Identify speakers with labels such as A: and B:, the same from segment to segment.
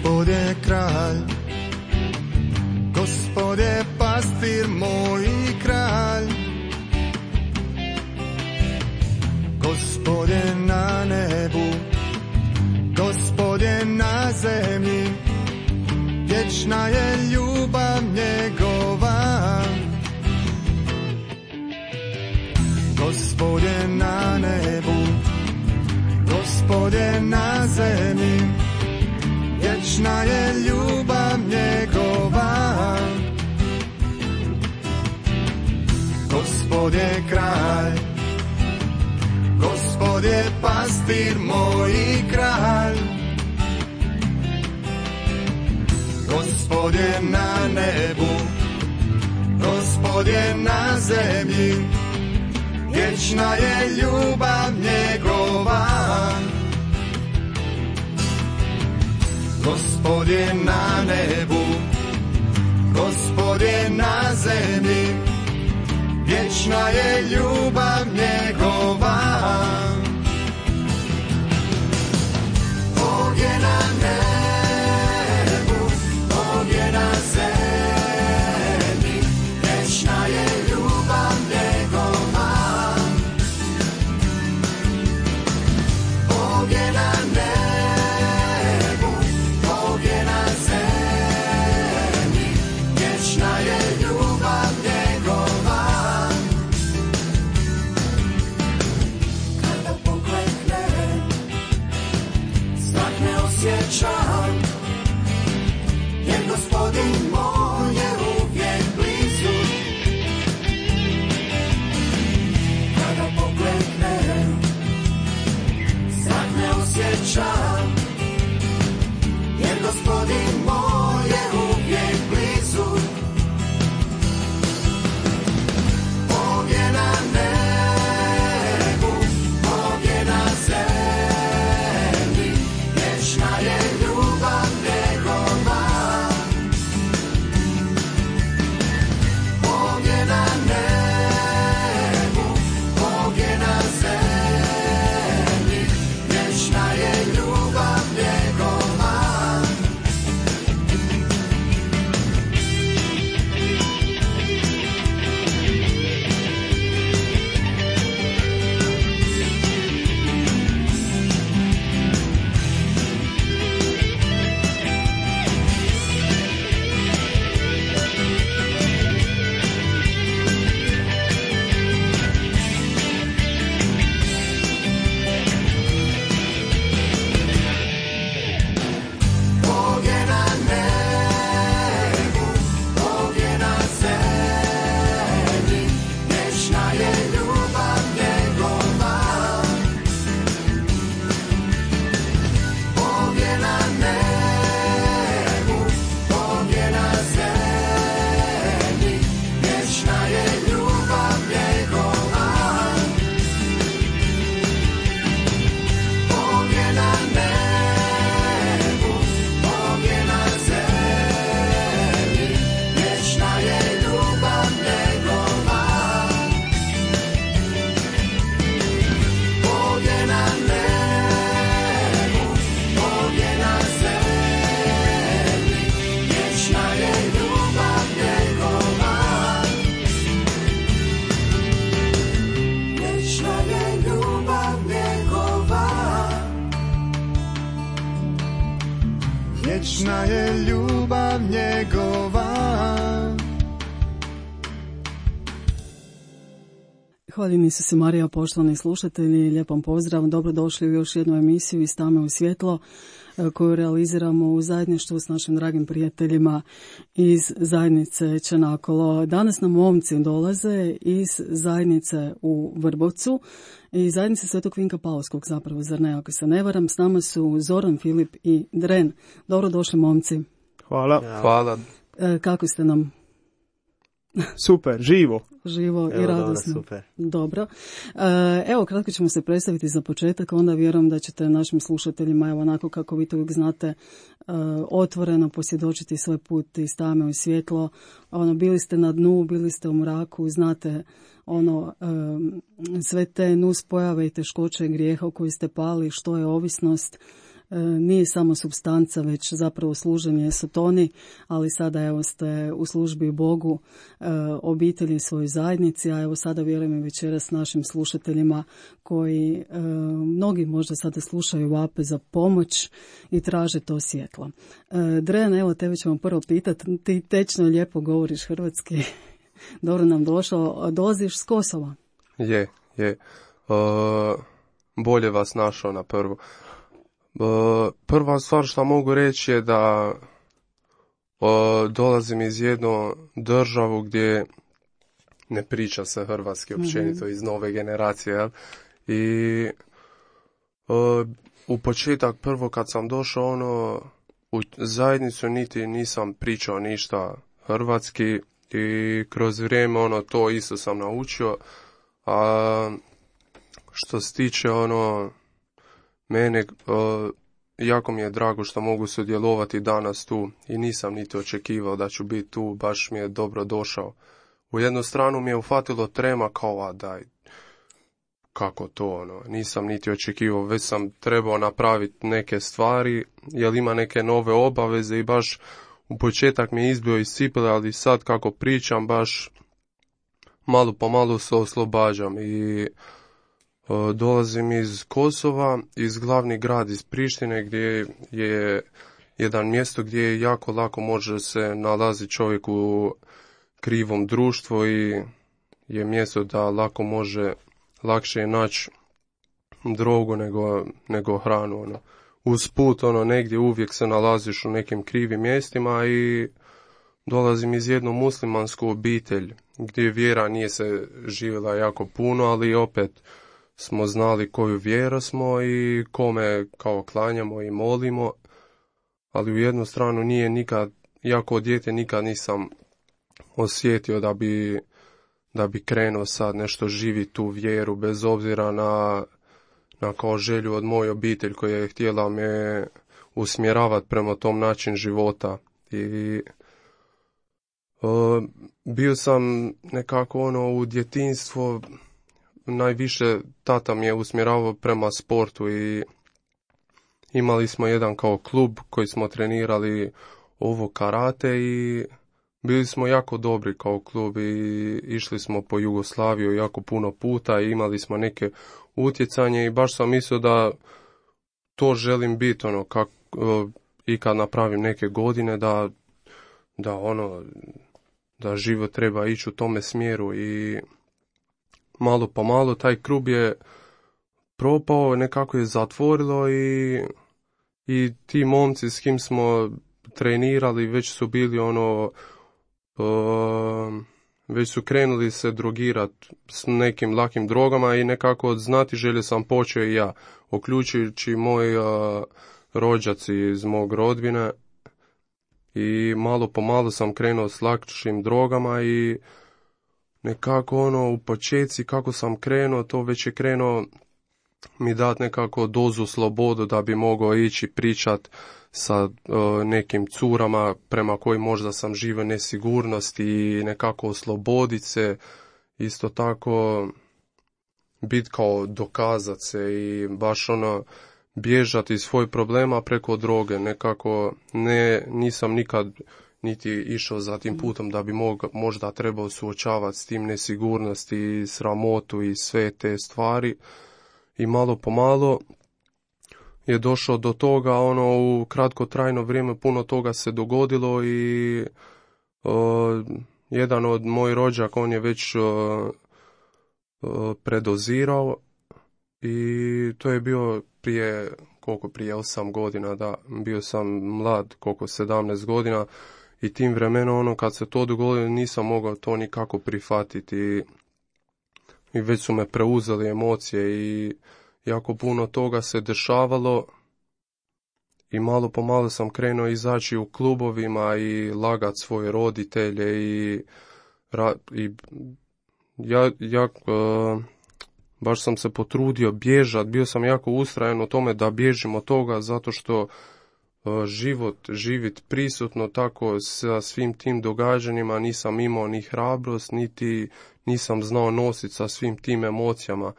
A: Gospod je kralj, Gospod je pastir moj i kralj. Gospod je na nebu, Gospod je na zemlji, vječna je ljubav njegova. Gospod je na nebu, Gospod je na zemlji, vječna je ljubav njegova. Gospod je kralj, Gospod je pastir moj i kralj. Gospod je na nebu, Gospod je na zemlji, vječna je ljubav njegova. Gospod je na nebu, Gospod je na zemlji, vječna je ljubav njegova. Bog je na nebu, Bog je na zemlji, vječna je ljubav njegova. Bog je na nebu, Bog je na zemlji, vječna je ljubav njegova. Kada pokleknem, strah ne osjećam, jer Gospodin moj je uvijek blizu. Kada pokleknem, strah ne osjećam, jer Gospodin moj je uvijek blizu. Bog je na nebu, Bog je na zemlji, vječna je ljubav njegova. Bog je na nebu, Bog je na zemlji, vječna je ljubav njegova. Bog je na nebu, Bog je na zemlji, vječna je ljubav njegova. Bog je na nebu, Bog je na zemlji, vječna je ljubav njegova. Bog je na nebu, Bog je na zemlji, vječna je ljubav njegova. Bog je na nebu, Bog je na zemlji, vječna je ljubav njegova. Vječna je ljubav njegova. Vječna je ljubav njegova.
B: Hvaljen Isuse Marija, poštovani slušatelji, lijepom pozdrav, dobrodošli u još jednu emisiju iz Tame u svjetlo koju realiziramo u zajedništvu s našim dragim prijateljima iz zajednice Čanakolo. Danas nam momci dolaze iz zajednice u Vrbovcu i zajednice Svetog Vinka Paulskog, zapravo, zar ne, ako se ne varam. S nama su Zoran, Filip i Dren. Dobrodošli, momci.
C: Hvala.
D: Hvala.
B: Kako ste nam?
C: Super, živo.
B: Živo i radosno.
C: Super.
B: Dobro. Evo, kratko ćemo se predstaviti za početak, onda vjerujem da ćete našim slušateljima, evo onako kako vi to uvijek znate, otvoreno posvjedočiti svoj put iz tame u svjetlo. Bili ste na dnu, bili ste u mraku, znate sve te nuspojave i teškoće grijeha u koji ste pali, što je ovisnost, nije samo supstanca, već zapravo služenje sotoni, ali sada evo ste u službi Bogu, obitelji, svojoj zajednici, a evo sada vjerujem i večeras našim slušateljima koji mnogi možda sada slušaju, vape za pomoć i traže to svjetlo. Drejan, evo tebe ćemo prvo pitati, ti tečno lijepo govoriš hrvatski, dobro nam došao, dolaziš s Kosova?
D: Je. Bolje vas našao na prvo. Prva stvar što mogu reći je da dolazim iz jednu državu gdje ne priča se hrvatski općenito, iz nove generacije, jel? I u početak prvo kad sam došao u zajednicu niti nisam pričao ništa hrvatski i kroz vrijeme to isto sam naučio. A što se tiče mene, jako mi je drago što mogu sudjelovati danas tu i nisam niti očekivao da ću biti tu, baš mi je dobro došao. U jednu stranu mi je ufatilo trema kao, a daj, kako to, nisam niti očekivao, već sam trebao napraviti neke stvari, jer ima neke nove obaveze i baš u početak mi je izbio iz cipele, ali sad kako pričam, baš malo po malo se oslobađam i dolazim iz Kosova, iz glavni grad, iz Prištine, gdje je jedan mjesto gdje je jako lako može se nalazi čovjek u krivom društvu i je mjesto da lako može lakše naći drogu nego hranu. Usput negdje uvijek se nalaziš u nekim krivim mjestima i dolazim iz jednu muslimansku obitelj gdje vjera nije se živjela jako puno, ali opet smo znali koju vjeru smo i kome kao klanjamo i molimo, ali u jednu stranu nije nikad, jako dijete nikad nisam osjetio da bi krenuo sad nešto živi tu vjeru, bez obzira na kao želju od moje obitelj koja je htjela me usmjeravati prema tom način života. I bio sam nekako u djetinjstvo, najviše tata mi je usmjeravao prema sportu i imali smo jedan kao klub koji smo trenirali karate i bili smo jako dobri kao klub i išli smo po Jugoslaviju jako puno puta i imali smo neke utjecanje i baš sam mislio da to želim biti i kad napravim neke godine da život treba ići u tome smjeru i malo po malo taj klub je propao, nekako je zatvorilo i ti momci s kim smo trenirali već su bili već su krenuli se drogirati s nekim lakim drogama i nekako od znatiželje sam počeo i ja, uključujući moji rođaci iz mog rodbine i malo po malo sam krenuo s lakšim drogama i nekako u početci kako sam krenuo, to već je krenuo mi dati nekako dozu slobodu da bi mogao ići pričat sa nekim curama prema kojim možda sam živio nesigurnost i nekako osloboditi se, isto tako biti kao dokazat se i baš bježati iz svojih problema preko droge, nekako nisam nikad niti išao za tim putom da bi možda trebao suočavati s tim nesigurnosti, sramotu i sve te stvari i malo po malo je došao do toga, u kratkotrajno vrijeme puno toga se dogodilo i jedan od mojih rođaka, on je već predozirao i to je bio prije 8 godina, da, bio sam mlad, 17 godina i tim vremenom, kad se to dogodilo, nisam mogao to nikako prihvatiti i već su me preuzeli emocije i jako puno toga se dešavalo i malo po malo sam krenuo izaći u klubovima i lagat svoje roditelje i baš sam se potrudio bježati, bio sam jako ustrajan u tome da bježim od toga zato što živit prisutno tako sa svim tim događanjima nisam imao ni hrabrost, niti nisam znao nositi sa svim tim emocijama.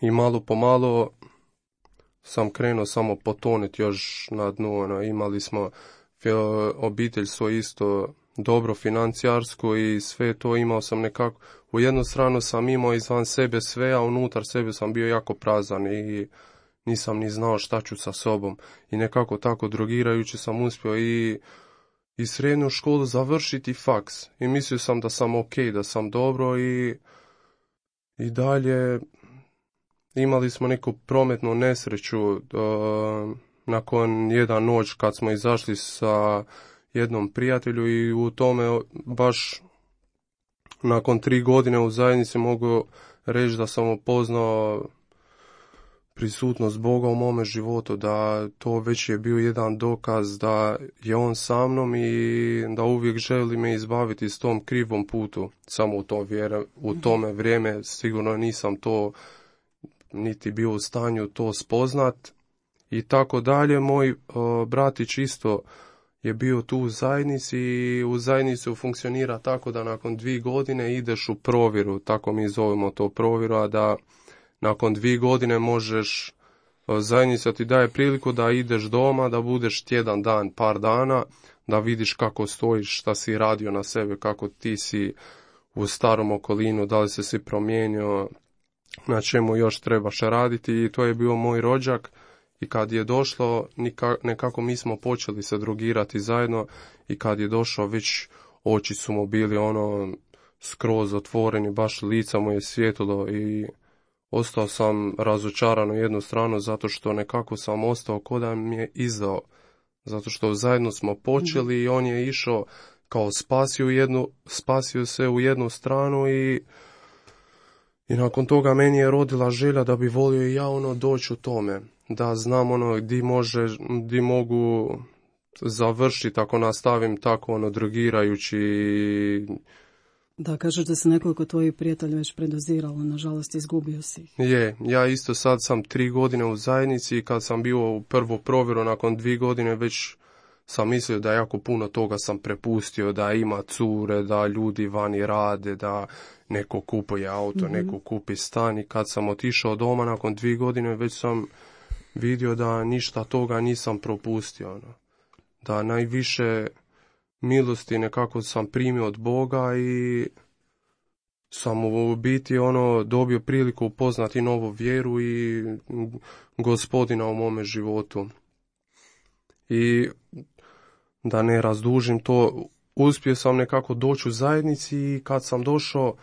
D: I malo po malo sam krenuo samo potoniti još na dnu. Ono, imali smo obitelj svoje isto dobro financijarsko i sve to imao sam nekako. U jednu stranu sam imao izvan sebe sve, a unutar sebe sam bio jako prazan i nisam ni znao šta ću sa sobom. I nekako tako drogirajući sam uspio i srednju školu završiti faks. I mislio sam da sam ok, da sam dobro i dalje imali smo neku prometnu nesreću nakon jedan noć kad smo izašli sa jednom prijatelju i u tome baš nakon 3 godine u zajednici mogu reći da sam upoznao prisutnost Boga u mome životu, da to već je bio jedan dokaz da je on sa mnom i da uvijek želi me izbaviti s tom krivom putu. Samo u tome vrijeme sigurno nisam to niti bio u stanju to spoznat i tako dalje. Moj bratić isto je bio tu u zajednici i u zajednici funkcionira tako da nakon 2 godine ideš u provjeru, tako mi zovemo to provjeru, a da nakon 2 godine možeš, zajednica ti daje priliku da ideš doma, da budeš tjedan dan, par dana, da vidiš kako stojiš, šta si radio na sebe, kako ti si u starom okolinu, da li si promijenio, na čemu još trebaš raditi. I to je bio moj rođak i kad je došlo, nekako mi smo počeli se drogirati zajedno i kad je došao već oči su mu bili ono skroz otvoreni, baš lica mu je svjetlo i ostao sam razočaran u jednu stranu zato što nekako sam ostao ko da mi je izdao. Zato što zajedno smo počeli i on je išao kao spasio se u jednu stranu i nakon toga meni je rodila želja da bi volio i ja doći u tome. Da znam di mogu završiti ako nastavim tako drogirajući.
B: Da, kažeš da se nekoliko tvojih prijatelja već predoziralo, nažalost izgubio si ih.
D: Ja isto sad sam 3 godine u zajednici i kad sam bio u prvu provjeru nakon 2 godine već sam mislio da jako puno toga sam prepustio, da ima cure, da ljudi vani rade, da neko kupuje auto, neko kupi stan i kad sam otišao doma nakon 2 godine već sam vidio da ništa toga nisam propustio. Da najviše milosti nekako sam primio od Boga i sam u biti dobio priliku upoznati novu vjeru i Gospodina u mome životu. I da ne razdužim to, uspio sam nekako doći u zajednici i kad sam došao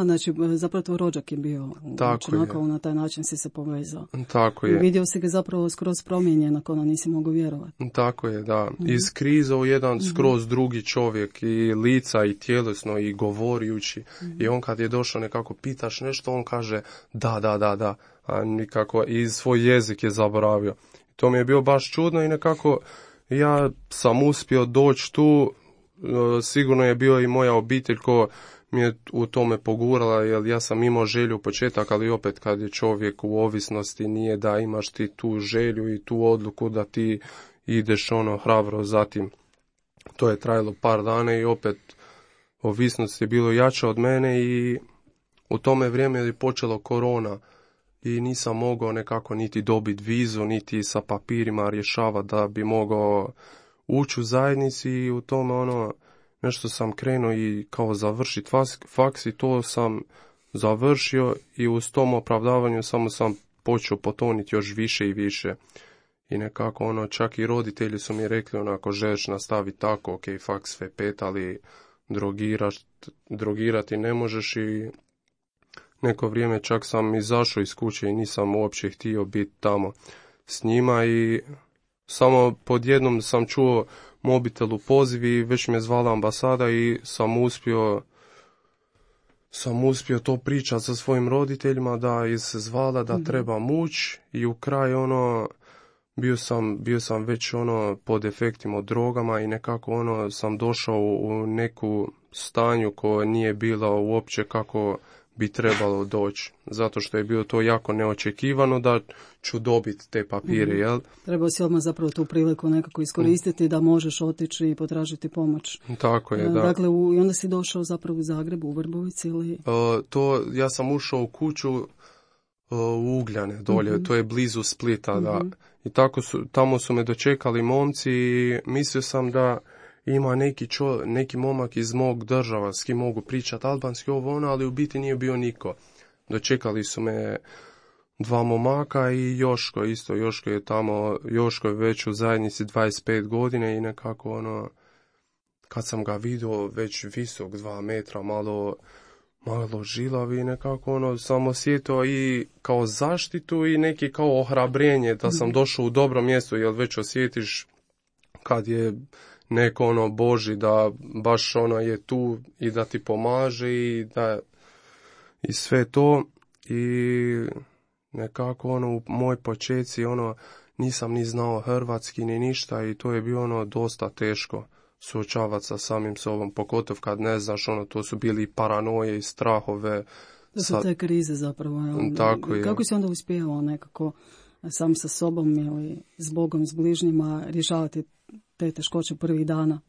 B: znači zapravo tvoj rođak je bio na taj način si se povezao.
D: Tako je.
B: Vidio si ga zapravo skroz promijenjen, ako nisi mogao vjerovati.
D: Tako je, da. Iz kriza u jedan skroz drugi čovjek i lica i tjelesno i govorijući. I on kad je došao nekako pitaš nešto, on kaže da. A nikako i svoj jezik je zaboravio. To mi je bilo baš čudno i nekako ja sam uspio doći tu. Sigurno je bio i moja obitelj ko mi je u tome pogurala, jer ja sam imao želju u početak, ali opet kad je čovjek u ovisnosti nije da imaš ti tu želju i tu odluku da ti ideš hrabro zatim. To je trajalo par dana i opet ovisnost je bilo jača od mene i u tome vrijeme je počelo korona i nisam mogao nekako niti dobiti vizu, niti sa papirima rješavati da bi mogao ući u zajednici i u tome nešto sam krenuo i kao završiti faks i to sam završio i uz tom opravdavanju samo sam počeo potoniti još više i više. I nekako čak i roditelji su mi rekli ako želiš nastaviti tako, ok, faks sve 5, ali drogirati ne možeš i neko vrijeme čak sam izašao iz kuće i nisam uopće htio biti tamo s njima i samo pod jednom sam čuo mobitel u poziv i već me zvala ambasada i sam uspio to pričati sa svojim roditeljima da je se zvala da trebam ući i u kraju bio sam već pod efektima od drogama i nekako sam došao u neku stanju koja nije bila uopće kako bi trebalo doći, zato što je bilo to jako neočekivano da ću dobiti te papire, jel?
B: Trebao si odmah zapravo tu priliku nekako iskoristiti da možeš otići i potražiti pomoć.
D: Tako je, da.
B: Dakle, i onda si došao zapravo u Zagrebu, u Vrbovici ili?
D: Ja sam ušao u kuću u Ugljane dolje, to je blizu Splita, da. I tamo su me dočekali momci i mislio sam da ima neki momak iz mog država s kim mogu pričati albanski ovo ono, ali u biti nije bio niko. Dočekali su me 2 momaka i Joško isto. Joško je već u zajednici 25 godine i nekako ono, kad sam ga vidio već visok 2 metra, malo žilavi, nekako ono, sam osjetio i kao zaštitu i neki kao ohrabrenje da sam došao u dobro mjesto, jer već osjetiš kad je neko ono Boži da baš ono je tu i da ti pomaže i sve to. I nekako ono u moj početci ono nisam ni znao hrvatski ni ništa i to je bilo ono dosta teško suočavati sa samim sobom, pogotovo kad ne znaš ono, to su bili paranoje i strahove.
B: To su te krize zapravo.
D: Tako je.
B: Kako si onda uspijevao nekako sam sa sobom ili s Bogom, s bližnjima rješavati te teškoće prvih dana?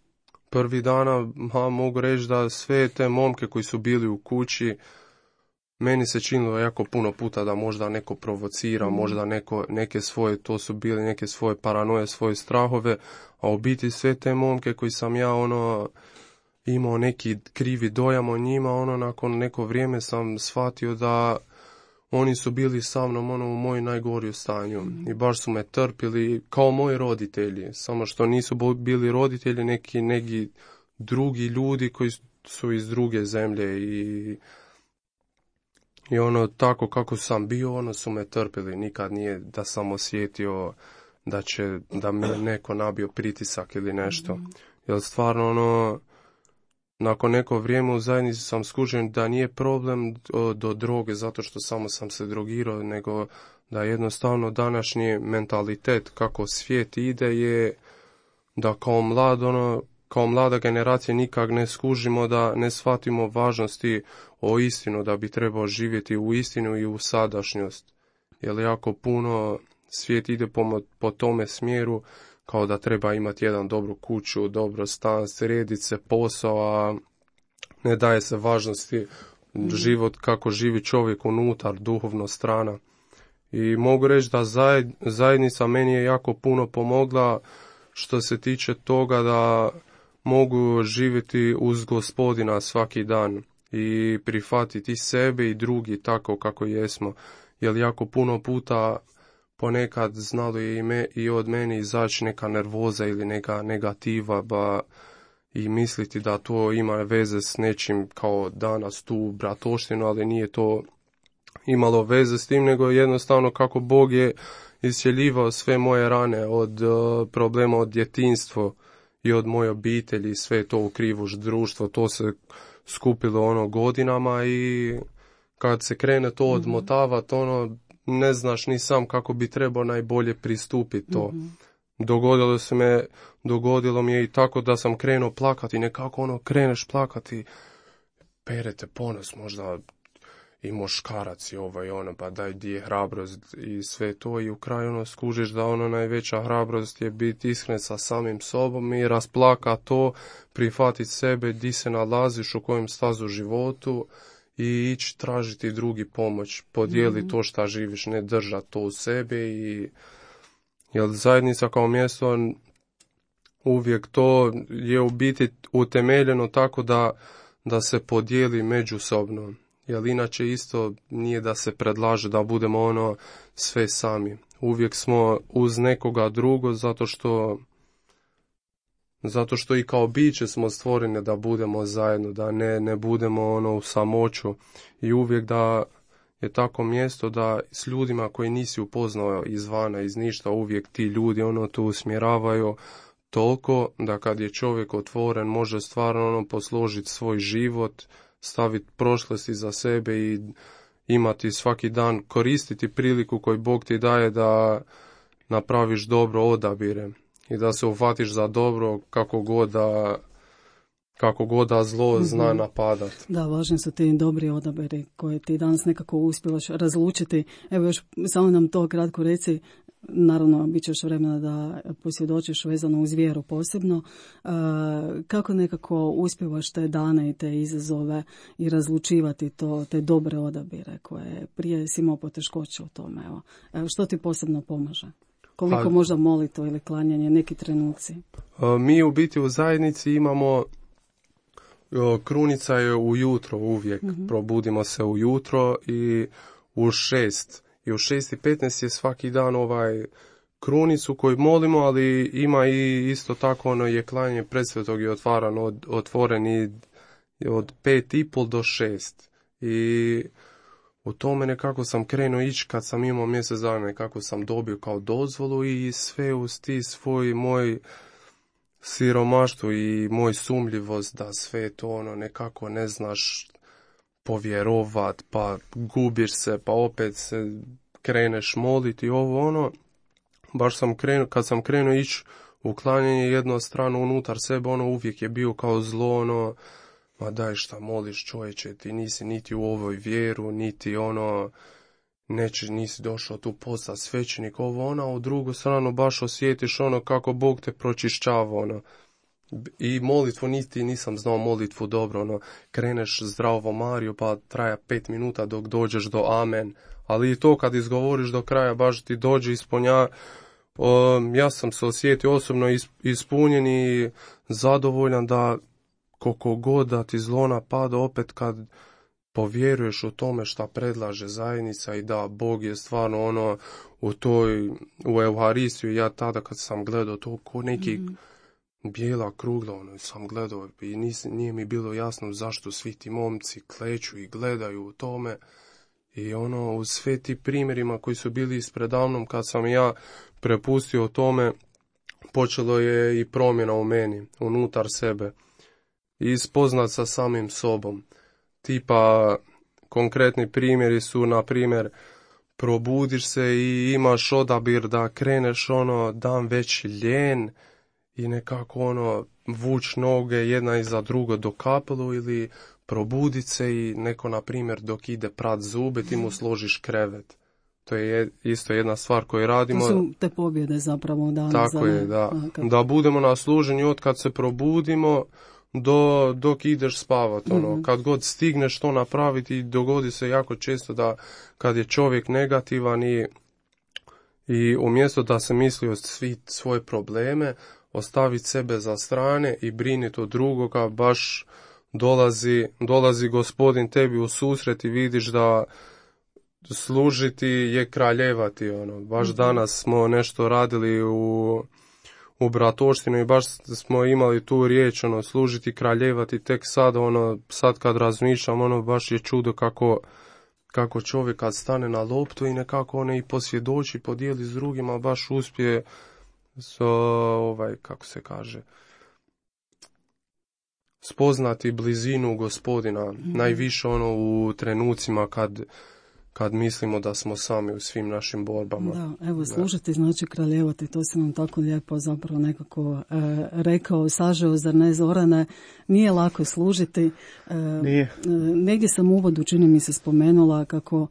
D: Prvih dana mogu reći da sve te momke koji su bili u kući, meni se činilo jako puno puta da možda neko provocira, možda neke svoje, to su bili neke svoje paranoje, svoje strahove, a u biti sve te momke koji sam ja ono imao neki krivi dojam o njima, ono nakon neko vrijeme sam shvatio da oni su bili sa mnom ono u moj najgoriju stanju i baš su me trpili kao moji roditelji, samo što nisu bili roditelji, neki drugi ljudi koji su iz druge zemlje i ono tako kako sam bio, ono su me trpili, nikad nije da sam osjetio da mi je neko nabio pritisak ili nešto. Jer stvarno ono, nakon neko vrijeme u zajednici sam skužen da nije problem do droge zato što samo sam se drogirao, nego da jednostavno današnji mentalitet kako svijet ide je da kao mlada generacija nikak ne skužimo, da ne shvatimo važnosti o istinu, da bi trebao živjeti u istinu i u sadašnjost. Jer jako puno svijet ide po tome smjeru kao da treba imati jedan dobru kuću, dobro stan, srediti se, posao, a ne daje se važnosti život kako živi čovjek unutar, duhovno strana. I mogu reći da zajednica meni je jako puno pomogla što se tiče toga da mogu živjeti uz Gospodina svaki dan i prihvatiti sebe i drugi tako kako jesmo. Jer jako puno puta ponekad znalo je i od mene izaći neka nervoza ili neka negativa i misliti da to ima veze s nečim kao danas tu bratoštinu, ali nije to imalo veze s tim, nego jednostavno kako Bog je iscjeljivao sve moje rane od problema od djetinjstva i od moje obitelji, sve to u krivo društvo, to se skupilo ono godinama i kad se krene to odmotavati, ono ne znaš ni sam kako bi trebao najbolje pristupiti to. Dogodilo mi je i tako da sam krenuo plakati, nekako ono kreneš plakati, perete ponos, možda i muškarac i ovo i ono, pa daj di je hrabrost i sve to i u kraju ono skužiš da ono najveća hrabrost je biti iskren sa samim sobom i rasplaka to, prihvatiti sebe, di se nalaziš, u kojem stazu životu i ići tražiti drugi pomoć, podijeli to šta živiš, ne držati to u sebi jer zajednica kao mjesto uvijek to je u biti utemeljeno tako da se podijeli međusobno. Jer inače isto nije da se predlaže da budemo ono sve sami. Uvijek smo uz nekoga drugo zato što i kao biće smo stvoreni da budemo zajedno, da ne budemo ono u samoću i uvijek da je tako mjesto da s ljudima koji nisi upoznao izvana, iz ništa, uvijek ti ljudi ono tu usmjeravaju toliko da kad je čovjek otvoren može stvarno ono posložiti svoj život, staviti prošlosti za sebe i imati svaki dan, koristiti priliku koju Bog ti daje da napraviš dobro odabire i da se uhvatiš za dobro kako god da zlo zna napadat.
B: Da, važni su ti dobri odabiri koje ti danas nekako uspjelaš razlučiti. Evo još samo nam to kratko reci, naravno bit će još vremena da posvjedočiš vezano uz vjeru posebno. Kako nekako uspijevaš te dane i te izazove i razlučivati te dobre odabire koje prije si imao poteškoće u tome? Evo, što ti posebno pomaže? Koliko možda molitvo ili klanjanje, neki trenuci?
D: Mi u biti u zajednici imamo, krunica je ujutro uvijek, probudimo se ujutro i u 6. I u 6:15 je svaki dan krunicu koju molimo, ali ima i isto tako je klanjanje predsvetog i otvoren i od 5:30 do 6. I u tome nekako sam krenuo ići kad sam imao mjesec dana, nekako sam dobio kao dozvolu i sve uz ti svoj moj siromaštvo i moj sumljivost da sve to nekako ne znaš povjerovat, pa gubiš se, pa opet se kreneš moliti baš sam krenuo, kad sam krenuo ići u klanjanje jednu stranu unutar sebe, uvijek je bio kao zlo, ma daj šta moliš čovječe, ti nisi niti u ovoj vjeru, niti nisi došao tu postati svećenik, a u drugu stranu baš osjetiš kako Bog te pročišćava, I molitvu nisam znao molitvu dobro, kreneš zdravo Mariju pa traja 5 minuta dok dođeš do amen, ali i to kad izgovoriš do kraja baš ti dođe ispunja. Ja sam se osjetio osobno ispunjen i zadovoljan da koliko god da ti zlo napada, opet kad povjeruješ u tome šta predlaže zajednica i da Bog je stvarno u Euharistiju, ja tada kad sam gledao to ko neki bijela krugla, sam gledao i nije mi bilo jasno zašto svi ti momci kleću i gledaju u tome. I u sve ti primjerima koji su bili ispredavnom, kad sam ja prepustio tome, počelo je i promjena u meni, unutar sebe. I spoznat sa samim sobom. Tipa, konkretni primjeri su, na primjer, probudiš se i imaš odabir da kreneš dan već ljen i nekako vuč noge jedna iza drugo do kapelu, ili probudit se i neko, na primjer, dok ide prat zube, ti mu složiš krevet. To je isto jedna stvar koju radimo.
B: To su te pobjede zapravo u danu.
D: Tako je, da. Da budemo na služenju od kad se probudimo dok ideš spavat. Kad god stigneš to napraviti, dogodi se jako često da kad je čovjek negativan i umjesto da se misli o svi svoje probleme, ostaviti sebe za strane i briniti o drugoga, baš dolazi Gospodin tebi u susret i vidiš da služiti je kraljevati. Baš danas smo nešto radili u Bratoštinu i baš smo imali tu riječ, služiti, kraljevati. Tek sad, sad kad razmišljam, baš je čudo kako čovjek kad stane na loptu i nekako i posvjedoči, podijeli s drugima, baš uspije kako se kaže, spoznati blizinu Gospodina, najviše u trenucima kad mislimo da smo sami u svim našim borbama.
B: Da, evo, služiti znači kraljevati, to si nam tako lijepo zapravo nekako rekao, sažeo, zar ne, Zorane? Nije lako služiti.
C: Nije.
B: Negdje sam u uvodu, čini mi se, spomenula kako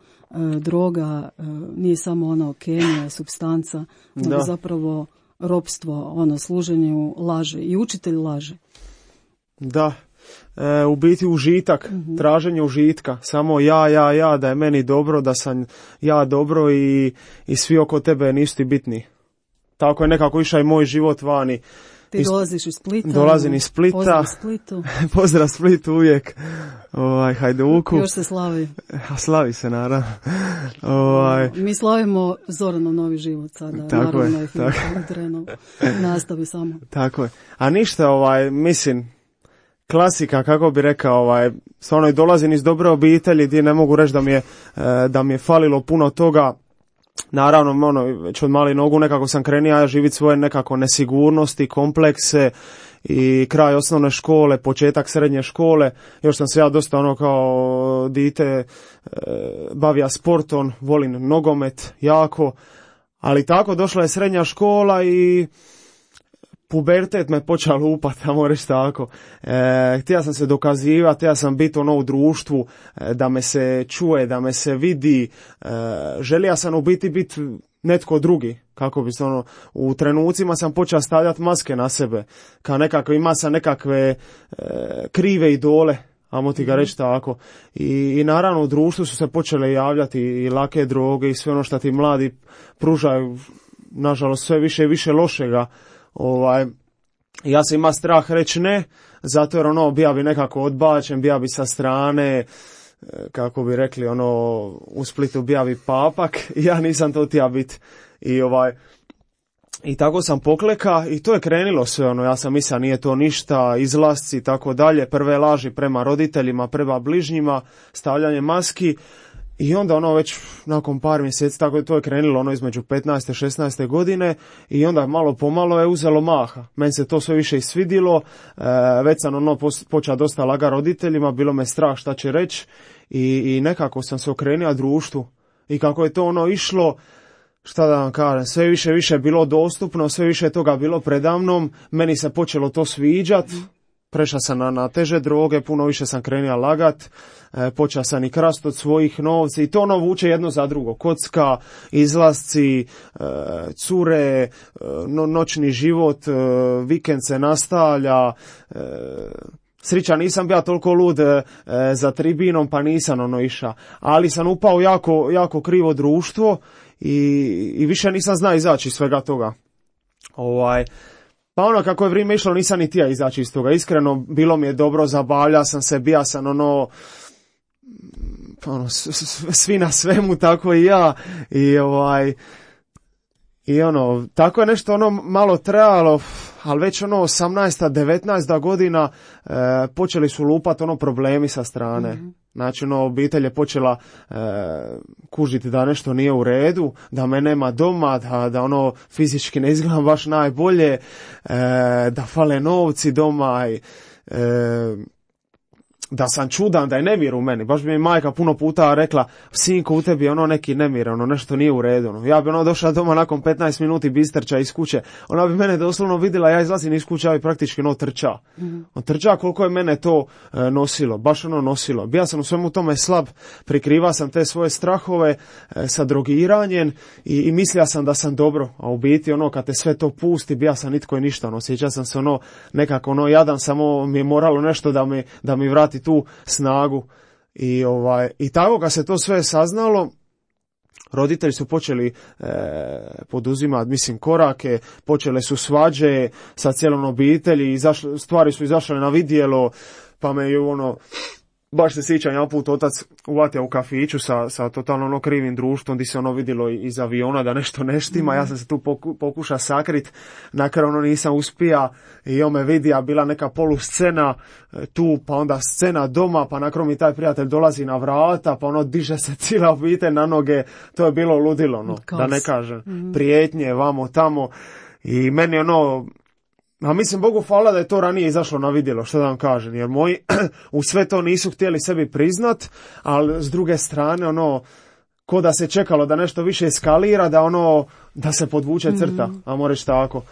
B: droga nije samo kemija, supstanca, nego zapravo ropstvo, služenju laže i učitelj laže.
C: Da, u biti užitak, traženje užitka, samo ja, da je meni dobro, da sam ja dobro i svi oko tebe nisu ti bitni. Tako je nekako išao i moj život vani.
B: Ti dolaziš iz Splita.
C: Dolazim iz Splita.
B: Pozdrav Splitu.
C: Pozdrav Splitu uvijek. Hajduku.
B: Još se slavi.
C: Slavi se, naravno.
B: Mi slavimo Zoranov novi život sada.
C: Tako
B: naravno,
C: je.
B: Nastavi samo.
C: Tako je. A ništa, mislim, klasika, kako bi rekao, stvarno i dolazim iz dobre obitelji gdje ne mogu reći da mi je falilo puno toga. Naravno, već od mali nogu nekako sam krenio živjeti svoje nekako nesigurnosti, komplekse i kraj osnovne škole, početak srednje škole. Još sam se ja dosta kao dite bavio sportom, volim nogomet jako, ali tako došla je srednja škola i pubertet me počeo lupati, ajmo reći tako. Htio sam se dokazivati, htio sam biti u društvu, da me se čuje, da me se vidi. Želio sam u biti netko drugi. Kako bi se ono, u trenucima sam počeo stavljati maske na sebe, kao nekako ima sam nekakve krive idole, ajmo ti ga reći tako. I naravno u društvu su se počele javljati i lake droge i sve ono što ti mladi pružaju, nažalost sve više i više lošega. Ja sam ima strah reći ne, zato jer ono bija bi nekako odbačen, bija bi sa strane, kako bi rekli ono u Splitu bija bi papak, ja nisam to tija bit. I tako sam pokleka i to je krenilo sve, ono, ja sam mislio nije to ništa, izlasci i tako dalje, prve laži prema roditeljima, prema bližnjima, stavljanje maski i onda ono već nakon par mjeseci, tako to je krenilo ono između 15. i 16. godine i onda malo pomalo je uzelo maha. Meni se to sve više i svidilo, već sam ono počeo dosta laga roditeljima, bilo me strah šta će reći i nekako sam se okrenio društvu i kako je to ono išlo, šta da vam kažem, sve više je bilo dostupno, sve više je toga bilo predamnom, meni se počelo to sviđat, prešao sam na teže droge, puno više sam krenio lagat, počeo sam i krast od svojih novci i to ono vuče jedno za drugo, kocka, izlasci, cure, noćni život, vikend se nastavlja, srića, nisam bio toliko lud za tribinom, pa nisam ono iša, ali sam upao jako krivo društvo i više nisam znao izaći iz svega toga. Pa ono kako je vrijeme išlo nisam ni tija izaći iz toga. Iskreno bilo mi je dobro, zabavljao sam se, bija sam ono svi na svemu, tako i ja. I ono, tako je nešto ono malo trajalo, ali već ono 18. 19. godina počeli su lupat ono problemi sa strane. Znači ono, obitelj je počela kužiti da nešto nije u redu, da me nema doma, da ono fizički ne izgledam baš najbolje, da fale novci doma i da sam čudan, da je nemir u meni. Baš bi mi majka puno puta rekla, sinko, u tebi je ono neki nemir, ono nešto nije u redu. Ono. Ja bi ono došla doma nakon 15 minuti bistrča iz kuće. Ona bi mene doslovno vidjela, ja izlazim iz kuće, i praktički ono trča. On trča koliko je mene to nosilo, baš ono nosilo. Bija sam u svemu tome slab, prikriva sam te svoje strahove sa drogiranjem i mislio sam da sam dobro, a u biti ono kad te sve to pusti, bija sam nitko i ništa. Ono, sjeća sam se ono nekako ono jadan, samo mi je moralo nešto da mi vrati tu snagu i tako kad se to sve saznalo, roditelji su počeli poduzimati, mislim, korake, počele su svađe sa cijelom obitelji, stvari su izašle na vidjelo, pa me je ono, baš se sjećam, jedan put otac uvatio u kafiću sa totalno ono krivim društvom, gdje se ono vidjelo iz aviona da nešto ne štima, ja sam se tu pokušao sakrit, na kraju ono nisam uspija i on me vidi, a bila neka poluscena tu, pa onda scena doma, pa na kraju mi taj prijatelj dolazi na vrata, pa ono diže se cijela obitelj na noge, to je bilo ludilo, ono, da ne kažem, prijetnje, vamo, tamo, i meni ono, a mislim, Bogu hvala da je to ranije izašlo na vidjelo, što da vam kažem, jer moji u sve to nisu htjeli sebi priznat, ali s druge strane, ono, ko da se čekalo da nešto više eskalira, da se podvuče crta, ajmo reći tako.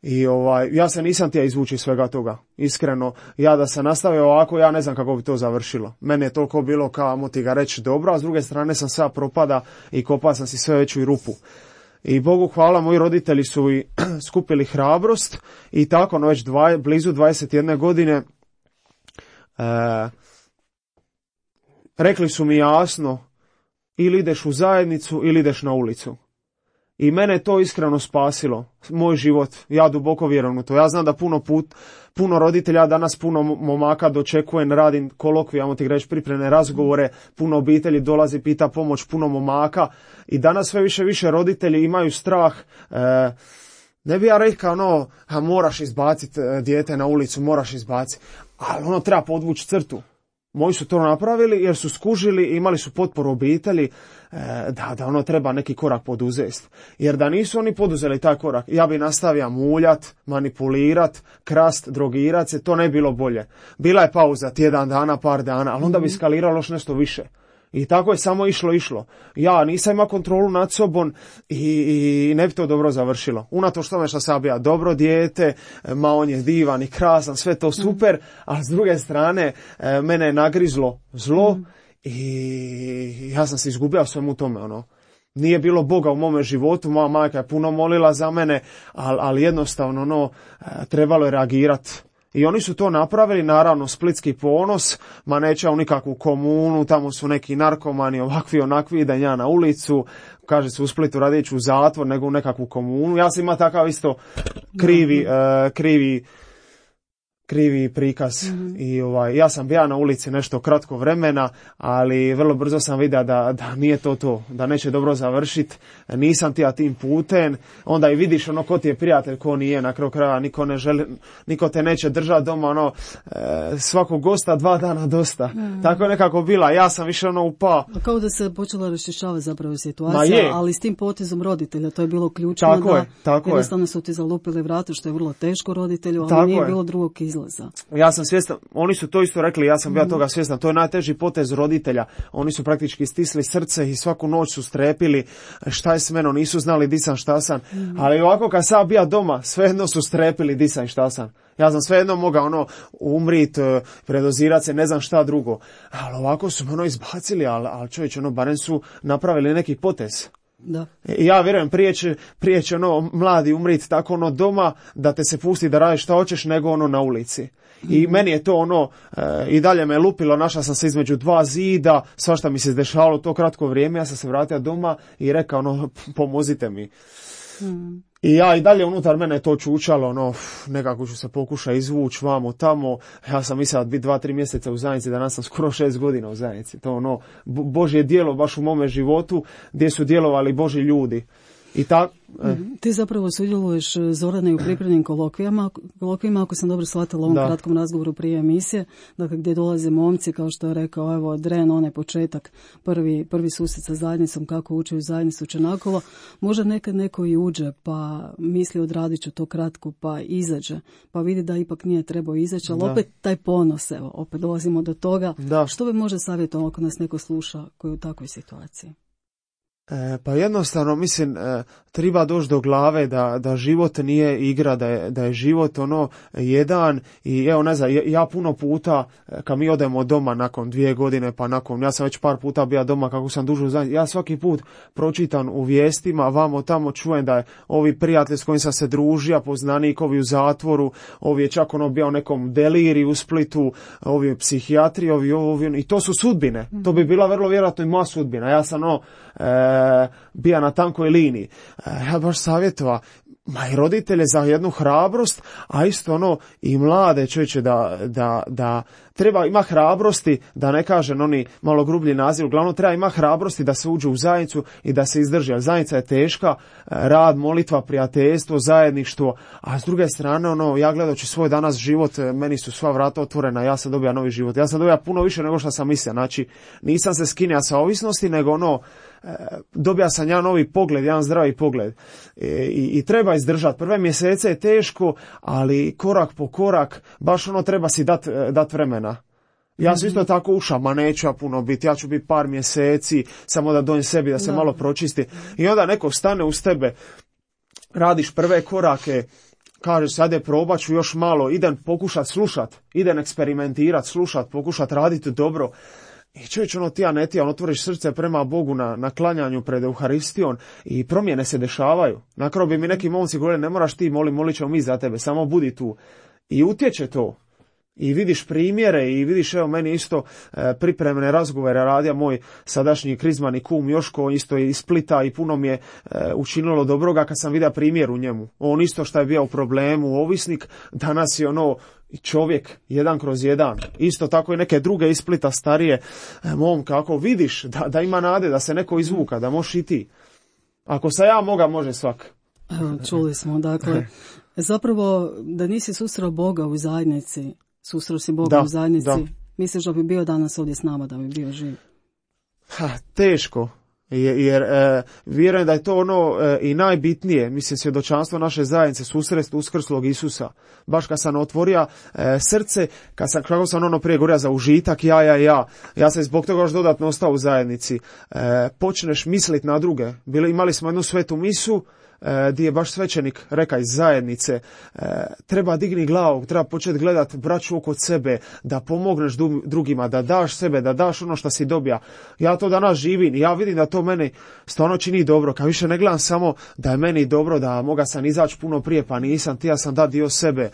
C: I ja se nisam htio izvući svega toga, iskreno, ja da se nastavio ovako, ja ne znam kako bi to završilo. Mene je toliko bilo kao, mo ti ga reći, dobro, a s druge strane sam sve propada i kopao sam si sve veću i rupu. I Bogu hvala, moji roditelji su i skupili hrabrost i tako, no već blizu 21 godine rekli su mi jasno, ili ideš u zajednicu ili ideš na ulicu. I mene to iskreno spasilo, moj život, ja duboko vjerujem u to. Ja znam da puno roditelja, danas puno momaka dočekujem, radim kolokvije, ajmo ti reći, pripremne razgovore, puno obitelji dolazi, pita pomoć, puno momaka i danas sve više roditelji imaju strah, ne bi ja rekao moraš izbaciti dijete na ulicu, moraš izbaciti, ali treba podvući crtu. Moji su to napravili jer su skužili i imali su potporu obitelji da treba neki korak poduzeti. Jer da nisu oni poduzeli taj korak, ja bi nastavio muljat, manipulirat, krast, drogirat se, to ne bi bilo bolje. Bila je pauza tjedan dana, par dana, ali onda bi skaliralo još nešto više. I tako je samo išlo. Ja nisam imao kontrolu nad sobom i ne bi to dobro završilo. Unatoč tome što sam bio dobro dijete, on je divan i krasan, sve to super, a s druge strane mene je nagrizlo zlo i ja sam se izgubio svemu tome. nije bilo Boga u mome životu, moja majka je puno molila za mene, ali jednostavno trebalo je reagirati. I oni su to napravili, naravno splitski ponos, ma neće u nikakvu komunu, tamo su neki narkomani, ovakvi, onakvi, idem ja na ulicu, kaže se u Splitu radit ću u zatvor, nego u nekakvu komunu. Ja sam imao takav isto krivi prikaz. I ja sam bio na ulici nešto kratko vremena, ali vrlo brzo sam vidio da nije to, da neće dobro završiti. Nisam ti tim putem, onda i vidiš ko ti je prijatelj, ko nije, na kraju krajeva niko te neće držati doma, svakog gosta 2 dana dosta. Tako je nekako bila, ja sam više upao.
B: Kao da se počela raščišćavati zapravo situacija, ali s tim potezom roditelja, to je bilo ključno,
C: tako
B: jednostavno su ti zalupili vrata, što je vrlo teško roditelju, ali nije bilo drugog izlaza.
C: Ja sam svjestan, oni su to isto rekli, ja sam bio toga svjestan, to je najteži potez roditelja, oni su praktički stisli srce i svaku noć su strepili šta je s menom, nisu znali di sam, šta sam, ali ovako kad sam bio doma, svejedno su strepili di sam i šta sam. Ja sam svejedno mogao umrit, predozirat se, ne znam šta drugo, ali ovako su me izbacili, ali čovječ, barem su napravili neki potez.
B: Da.
C: Ja vjerujem, prije će mladi umriti tako doma, da te se pusti da radiš šta hoćeš, nego na ulici. I meni je to i dalje me lupilo, našao sam se između 2 zida, svašta mi se dešavalo to kratko vrijeme, ja sam se vratio doma i rekao, pomozite mi. I ja i dalje unutar mene to čučalo, nekako ću se pokušati izvući vamo tamo. Ja sam mislio da biti 2-3 mjeseca u zajednici, danas sam skoro 6 godina u zajednici. To Božje djelo baš u mome životu, gdje su djelovali Božji ljudi. I tako.
B: Ti zapravo sudjeluješ, Zorane, u pripremnim kolokvijama, ako sam dobro shvatila u ovom kratkom razgovoru prije emisije, dakle gdje dolaze momci, kao što je rekao, evo, Dren, onaj početak, prvi susret sa zajednicom, kako uče u zajednicu Čenakova, možda nekad neko i uđe, pa misli odradit ću to kratko, pa izađe, pa vidi da ipak nije trebao izaći, ali opet taj ponos, evo, opet dolazimo do toga. Što bi možda savjetovati ako nas neko sluša koji je u takvoj situaciji?
C: Pa jednostavno, mislim, treba doći do glave da život nije igra, da je život jedan i evo ne znam, ja puno puta kad mi odemo doma nakon 2 godine, pa ja sam već par puta bio doma kako sam dužu zajednicu, ja svaki put pročitam u vijestima, vamo tamo čujem da je ovi prijatelji s kojim sam se družio, poznanik, ovi u zatvoru, ovi je čak bio u nekom deliriju u Splitu, ovi psihijatri, ovi i to su sudbine, to bi bila vrlo vjerojatno i moja sudbina, ja sam bija na tankoj liniji. Ja baš savjetova i roditelje za jednu hrabrost, a isto i mlade čovječe da treba ima hrabrosti, da ne kažem oni malo grublji naziv, uglavnom treba ima hrabrosti da se uđe u zajednicu i da se izdrži, jer zajednica je teška, rad, molitva, prijateljstvo, zajedništvo, a s druge strane ja gledajući svoj danas život, meni su sva vrata otvorena, ja sam dobio novi život, ja sam dobio puno više nego što sam mislio, znači nisam se skinio sa ovisnosti, nego dobija sam jedan novi pogled, jedan zdravi pogled i treba izdržati. Prve mjesece je teško, ali korak po korak baš treba si dat vremena. Ja sam isto tako ušao, ma neću ja puno biti, ja ću biti par mjeseci, samo da dojem sebi, da se malo pročisti. I onda neko stane uz tebe, radiš prve korake, kažeš sad probat ću još malo, idem pokušat slušat, idem eksperimentirat, slušat, pokušat raditi dobro. I čovječ, ti otvoriš srce prema Bogu na klanjanju pred Euharistijom i promjene se dešavaju. Na kraju bi mi neki momci govorili, ne moraš ti, molit ćemo mi za tebe, samo budi tu. I utječe to. I vidiš primjere i vidiš, evo meni isto pripremne razgovore radio moj sadašnji krizmani kum Joško, isto je iz Splita i puno mi je učinilo dobroga kad sam vidio primjer u njemu. On isto što je bio u problemu, ovisnik, danas je čovjek 1/1. Isto tako i neke druge iz Splita starije momka, ako vidiš da ima nade, da se neko izvuka, da možeš i ti. Ako sam ja moga, može svak.
B: Evo, čuli smo, dakle, zapravo da nisi susreo Boga u zajednici, susreo si Boga u zajednici, misliš da bi bio danas ovdje s nama, da bi bio živ?
C: Teško. Jer vjerujem da je to i najbitnije, mislim, svjedočanstvo naše zajednice, susret uskrslog Isusa. Baš kad sam otvorio srce, kako sam prije govorio za užitak, ja sam zbog toga još dodatno ostao u zajednici. Počneš misliti na druge. Imali smo jednu svetu misu, di je baš svećenik reka iz zajednice, treba digni glavu, treba početi gledati braću oko sebe, da pomogneš drugima, da daš sebe, da daš ono što si dobija. Ja to danas živim i ja vidim da to meni stvarno čini dobro, kad više ne gledam samo da je meni dobro, da moga sam izaći puno prije pa nisam, ti ja sam da dio sebe.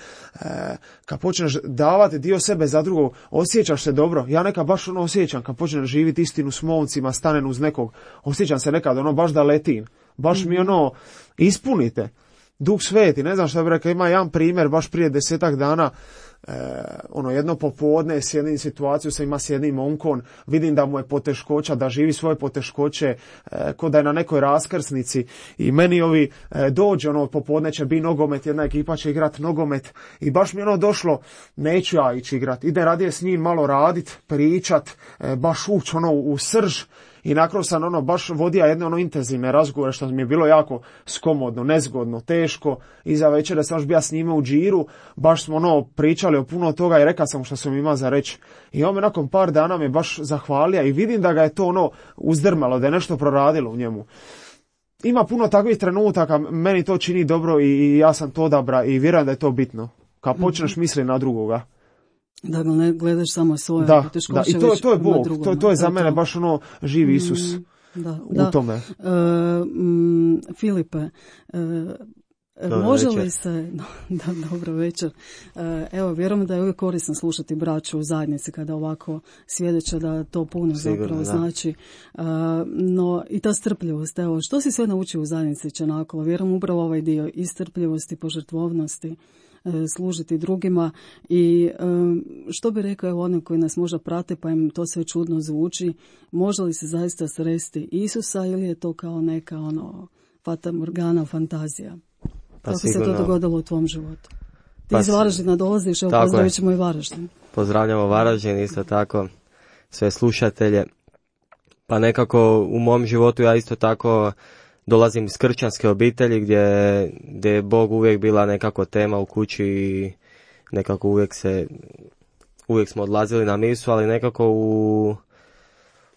C: Kad počneš davati dio sebe za drugog, osjećaš se dobro. Ja nekad baš ono osjećam, kad počnem živjeti istinu s momcima, stanem uz nekog, osjećam se nekad ono baš da letim. Baš mi ono ispunite. Duh Sveti, ne znam šta bi rekao, ima jedan primjer, baš prije 10 dana, jedno popodne sjedim situaciju sa ima s jednim momkom, vidim da mu je poteškoća, da živi svoje poteškoće, ko da je na nekoj raskrsnici i meni ovi dođe, popodne će biti nogomet, jedna ekipa će igrati nogomet i baš mi došlo, neću ja ići igrat, ide radije s njim malo radit, pričat, baš ući u srž. I nakon sam baš vodio jedne intenzivne razgovore što mi je bilo jako skomodno, nezgodno, teško. Iza večera sam još bio s njime u džiru, baš smo pričali o puno toga i rekao sam što sam imao za reći. I on me nakon par dana me baš zahvalio i vidim da ga je to uzdrmalo, da je nešto proradilo u njemu. Ima puno takvih trenutaka, meni to čini dobro i ja sam to odabra i vjerujem da je to bitno. Kad počneš misliti na drugoga.
B: Da ne gledaš samo svoje
C: poteškoće. I to je Bog, to je za mene baš živi Isus u tome.
B: Filipe, može li se, dobro večer, evo vjerujem da je uvijek korisno slušati braću u zajednici kada ovako svjedoče da to puno zapravo znači, no i ta strpljivost, evo što si sve naučio u zajednici Čenakolo, vjerujem upravo ovaj dio i strpljivosti, požrtvovnosti, služiti drugima i što bi rekao evo oni koji nas možda prate pa im to sve čudno zvuči, može li se zaista sresti Isusa ili je to kao neka fata morgana fantazija? Kako se to dogodilo u tvom životu? Ti iz Varaždina dolaziš, evo pozdravit ćemo i Varaždin.
E: Pozdravljamo Varaždin, isto tako sve slušatelje. Pa nekako u mom životu ja isto tako dolazim iz kršćanske obitelji gdje je Bog uvijek bila nekako tema u kući i nekako uvijek smo odlazili na misu, ali nekako u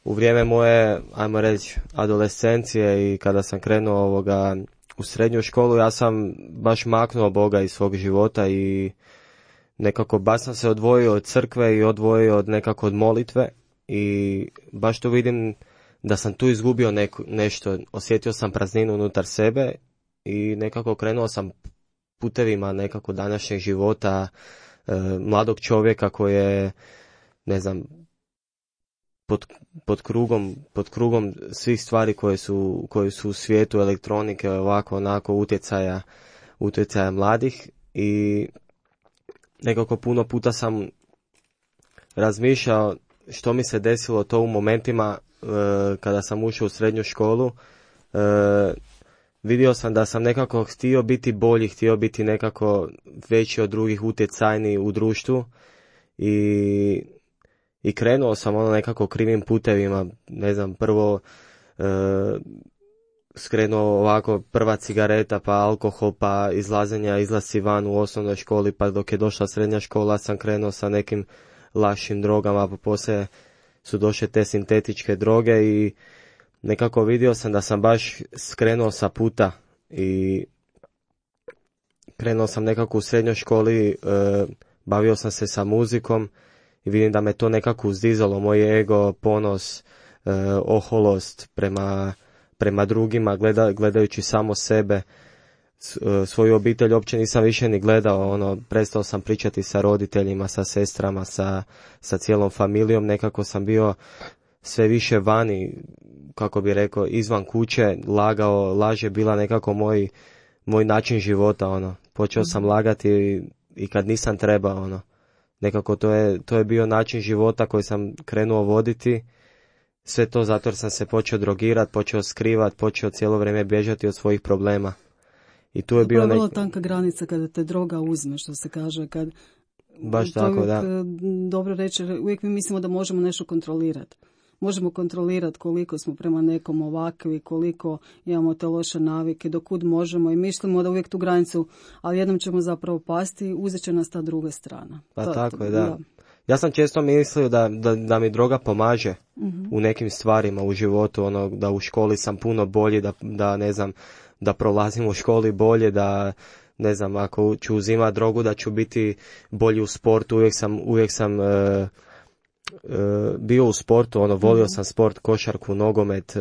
E: vrijeme moje, ajmo reći, adolescencije i kada sam krenuo u srednju školu, ja sam baš maknuo Boga iz svog života i nekako baš sam se odvojio od crkve i odvojio od molitve i baš to vidim da sam tu izgubio nešto, osjetio sam prazninu unutar sebe i nekako krenuo sam putevima nekako današnjeg života mladog čovjeka koji je, ne znam, pod krugom svih stvari koje su u svijetu elektronike, ovako onako utjecaja mladih i nekako puno puta sam razmišljao što mi se desilo to u momentima kada sam ušao u srednju školu. Vidio sam da sam nekako htio biti bolji, htio biti nekako veći od drugih, utjecajniji u društvu i krenuo sam nekako krivim putevima, ne znam, prvo skrenuo ovako prva cigareta, pa alkohol, pa izlasci van u osnovnoj školi, pa dok je došla srednja škola sam krenuo sa nekim lakšim drogama, pa poslije su došle te sintetičke droge i nekako vidio sam da sam baš skrenuo sa puta i krenuo sam nekako u srednjoj školi, bavio sam se sa muzikom i vidim da me to nekako uzdizalo, moj ego, ponos, oholost prema drugima, gledajući samo sebe, svoju obitelj uopće nisam više ni gledao, prestao sam pričati sa roditeljima, sa sestrama, sa cijelom familijom, nekako sam bio sve više vani, kako bi rekao, izvan kuće, laž je bila nekako moj način života, počeo sam lagati i kad nisam trebao, nekako to je bio način života koji sam krenuo voditi, sve to zato jer sam se počeo drogirati, počeo skrivati, počeo cijelo vrijeme bježati od svojih problema. I tu je bio
B: vrlo tanka granica kada te droga uzme, što se kaže, kad
E: baš tako,
B: uvijek,
E: da.
B: Dobro reći, uvijek mi mislimo da možemo nešto kontrolirati. Možemo kontrolirati koliko smo prema nekom ovakvi, koliko imamo te loše navike, dokud možemo i mislimo da uvijek tu granicu, ali jednom ćemo zapravo pasti, uzet će nas ta druga strana.
E: Pa tako je, da. Ja sam često mislio da mi droga pomaže u nekim stvarima u životu, da u školi sam puno bolji, da ne znam, da prolazim u školi bolje, da ne znam, ako ću uzimati drogu da ću biti bolji u sportu. Uvijek sam bio u sportu, volio sam sport, košarku, nogomet,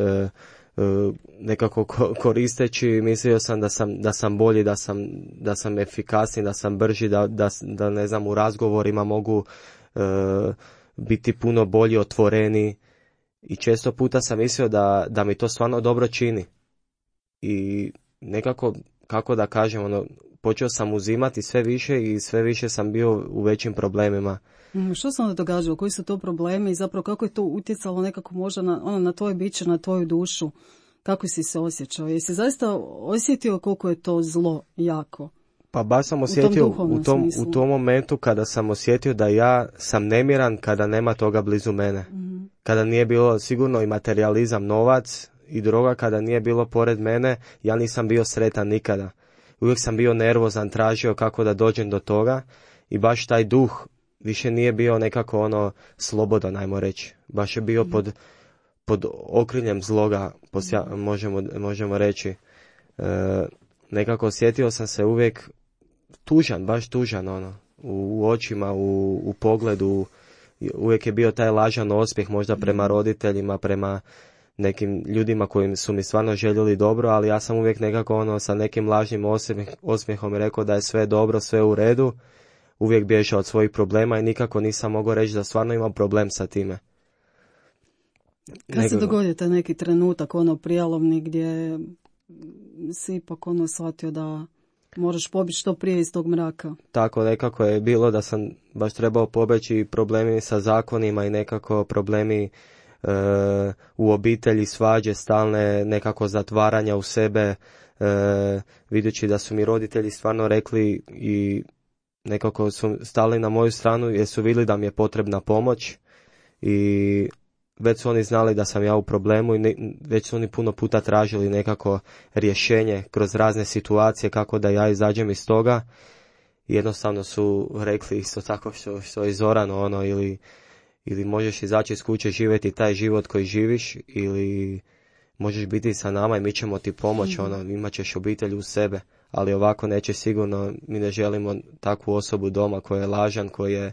E: nekako koristeći, mislio sam da sam bolji, da sam efikasniji, da sam brži, da ne znam, u razgovorima mogu biti puno bolji, otvoreni, i često puta sam mislio da mi to stvarno dobro čini. I nekako, kako da kažem, počeo sam uzimati sve više i sve više sam bio u većim problemima.
B: Što se onda događalo? Koji su to problemi i zapravo kako je to utjecalo nekako možda na tvoje biće, na tvoju dušu? Kako si se osjećao? Jesi zaista osjetio koliko je to zlo jako?
E: Pa baš sam osjetio u tom momentu kada sam osjetio da ja sam nemiran kada nema toga blizu mene. Kada nije bilo sigurno i materijalizam, novac i droga, kada nije bilo pored mene, ja nisam bio sretan nikada. Uvijek sam bio nervozan, tražio kako da dođem do toga i baš taj duh više nije bio nekako slobodan, ajmo reći. Baš je bio pod okriljem zloga, možemo reći. Nekako osjetio sam se uvijek tužan, baš tužan, u očima, u pogledu. Uvijek je bio taj lažan osmijeh, možda prema roditeljima, prema nekim ljudima koji su mi stvarno željeli dobro, ali ja sam uvijek nekako sa nekim lažnim osmijehom rekao da je sve dobro, sve u redu. Uvijek bježao od svojih problema i nikako nisam mogao reći da stvarno imam problem sa time.
B: Kad se dogodio taj neki trenutak, prijelovni, gdje si ipak shvatio da moraš pobjeći što prije iz tog mraka?
E: Tako nekako je bilo da sam baš trebao pobjeći, problemi sa zakonima i nekako problemi u obitelji, svađe stalne, nekako zatvaranja u sebe, videći da su mi roditelji stvarno rekli i nekako su stali na moju stranu jer su vidjeli da mi je potrebna pomoć i već su oni znali da sam ja u problemu i već su oni puno puta tražili nekako rješenje kroz razne situacije kako da ja izađem iz toga. Jednostavno su rekli isto tako što je Zorano, ili možeš izaći iz kuće, živjeti taj život koji živiš, ili možeš biti sa nama i mi ćemo ti pomoći, imat ćeš obitelj u sebe, ali ovako neće sigurno. Mi ne želimo takvu osobu doma koji je lažan, koji je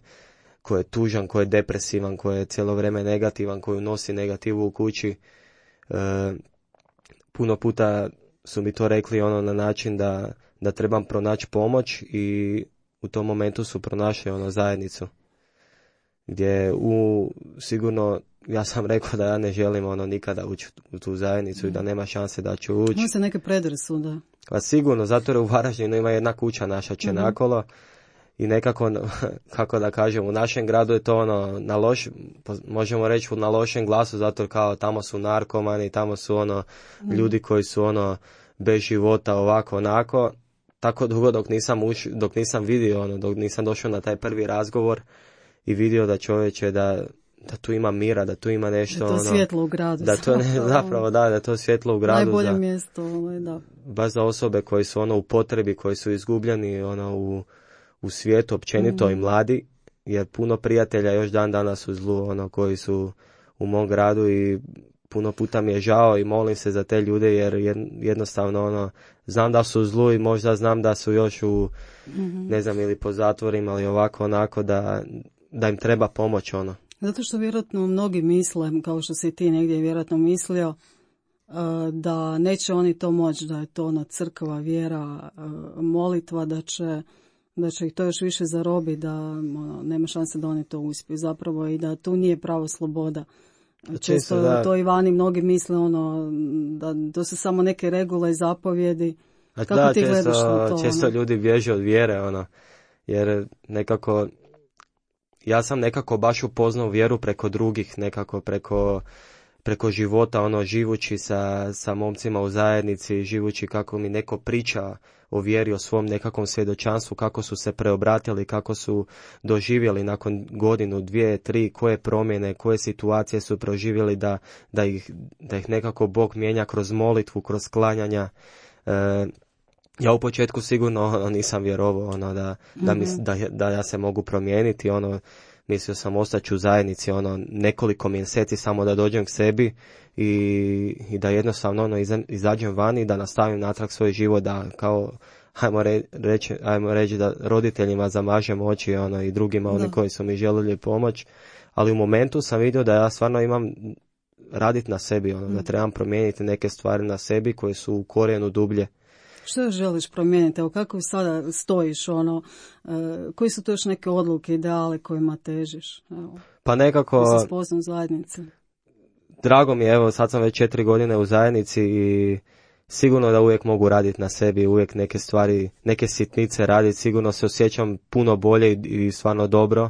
E: tužan, koji je depresivan, koji je cijelo vrijeme negativan, koji nosi negativu u kući. Puno puta su mi to rekli na način da trebam pronaći pomoć i u tom momentu su pronašli zajednicu. Gdje sigurno ja sam rekao da ja ne želim nikada ući u tu zajednicu i da nema šanse da ću ući.
B: Ima se neke predrasude.
E: Pa sigurno, zato jer u Varaždinu ima jedna kuća naša Čenakolo i nekako, kako da kažem, u našem gradu je to možemo reći na lošem glasu, zato kao tamo su narkomani, tamo su ljudi koji su bez života, ovako, onako. Tako dugo dok nisam vidio, dok nisam došao na taj prvi razgovor i vidio da čovječe da tu ima mira, da tu ima nešto.
B: Da to svjetlo u gradu.
E: Da to zapravo da je to svjetlo u gradu.
B: Najbolje mjesto, da.
E: Baš za osobe koji su u potrebi, koji su izgubljeni u svijetu općenito i mladi, jer puno prijatelja još dan danas u zlu, koji su u mom gradu i puno puta mi je žao i molim se za te ljude jer jednostavno znam da su u zlu i možda znam da su još u ne znam, ili po zatvorima ili ovako onako, da im treba pomoć
B: Zato što vjerojatno mnogi misle, kao što si ti negdje vjerojatno mislio, da neće oni to moći, da je to crkva, vjera, molitva, da će ih to još više zarobiti, da nema šanse da oni to uspiju zapravo i da tu nije pravo sloboda. Često to i vani mnogi misle da to su samo neke regule i zapovjedi. Kako ti gledaš na to?
E: Često ljudi bježe od vjere, jer nekako ja sam nekako baš upoznao vjeru preko drugih, nekako preko života, živući sa momcima u zajednici, živući kako mi neko priča o vjeri, o svom nekakvom svjedočanstvu, kako su se preobratili, kako su doživjeli nakon godinu, 2, 3, koje promjene, koje situacije su proživjeli da ih nekako Bog mijenja kroz molitvu, kroz klanjanja. Ja u početku sigurno nisam vjerovao da ja se mogu promijeniti, mislio sam ostaći u zajednici nekoliko mjeseci samo da dođem k sebi i da jednostavno izađem van i da nastavim natrag svoj život, da kao ajmo reći da roditeljima zamažem oči i drugima oni koji su mi željeli pomoć, ali u momentu sam vidio da ja stvarno imam raditi na sebi, da trebam promijeniti neke stvari na sebi koje su u korijenu dublje.
B: Što želiš promijeniti? Evo, kako sada stojiš, koji su to još neke odluke, ideale kojima težiš? Evo,
E: pa nekako...
B: Da se spoznam u zajednici.
E: Drago mi je, evo, sad sam već 4 godine u zajednici i sigurno da uvijek mogu raditi na sebi, uvijek neke stvari, neke sitnice raditi, sigurno se osjećam puno bolje i stvarno dobro,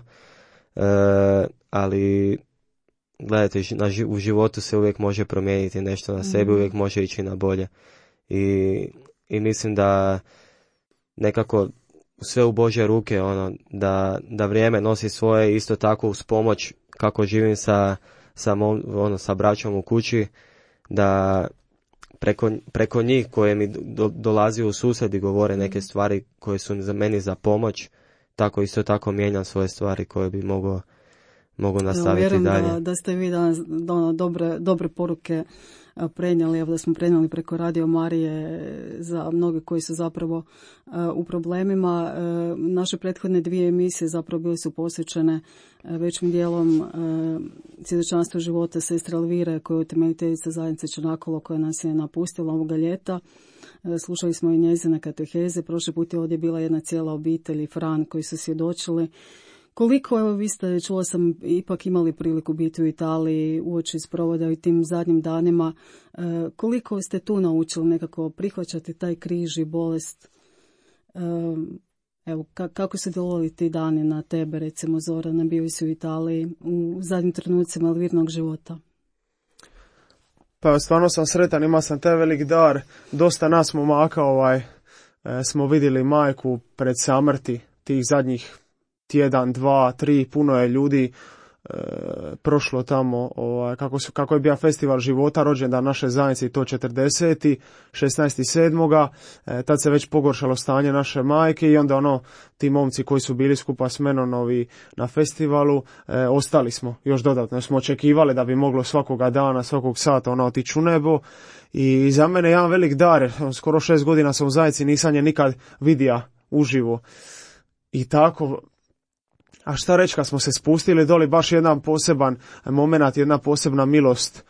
E: ali gledajte, u životu se uvijek može promijeniti nešto na sebi, uvijek može ići na bolje i mislim da nekako sve u Božje ruke, da vrijeme nosi svoje, isto tako uz pomoć kako živim sa braćom u kući, da preko njih koje mi dolazi u susret i govore neke stvari koje su za meni za pomoć, tako isto tako mijenjam svoje stvari koje bi mogu nastaviti dalje.
B: Vjerujem da ste vi danas dobre poruke prenijeli, evo da smo prenijeli preko Radio Marije za mnoge koji su zapravo u problemima. Naše prethodne 2 emisije zapravo bile su posvećene većim dijelom svjedočanstvu života sestre Elvire, koja je utemeljiteljica zajednice Čanakolo, koja nas je napustila ovoga ljeta. Slušali smo i njezine kateheze. Prošli put je ovdje bila jedna cijela obitelj i Fran koji su svjedočili. Koliko, evo vi ste, čula sam, ipak imali priliku biti u Italiji uoči sprovoda i tim zadnjim danima, koliko ste tu naučili nekako prihvaćati taj križ i bolest? Evo, kako su djelovali ti dani na tebe, recimo Zorana, bio si u Italiji u zadnjim trenucima Elvirnog života?
C: Pa stvarno sam sretan, imao sam taj velik dar, dosta nas momaka smo vidjeli majku pred samrti tih zadnjih tjedan, 2, 3, puno je ljudi prošlo tamo, kako je bio festival života, rođendan naše zajednice, i to 40. 16.7. Tad se već pogoršalo stanje naše majke i onda ti momci koji su bili skupa s menom na festivalu, ostali smo još dodatno, smo očekivali da bi moglo svakoga dana, svakog sata otići u nebo. I za mene jedan velik dar, skoro 6 godina sam u zajednici, nisam je nikad vidio uživo. I tako, a šta reći, kad smo se spustili doli, baš jedan poseban moment, jedna posebna milost.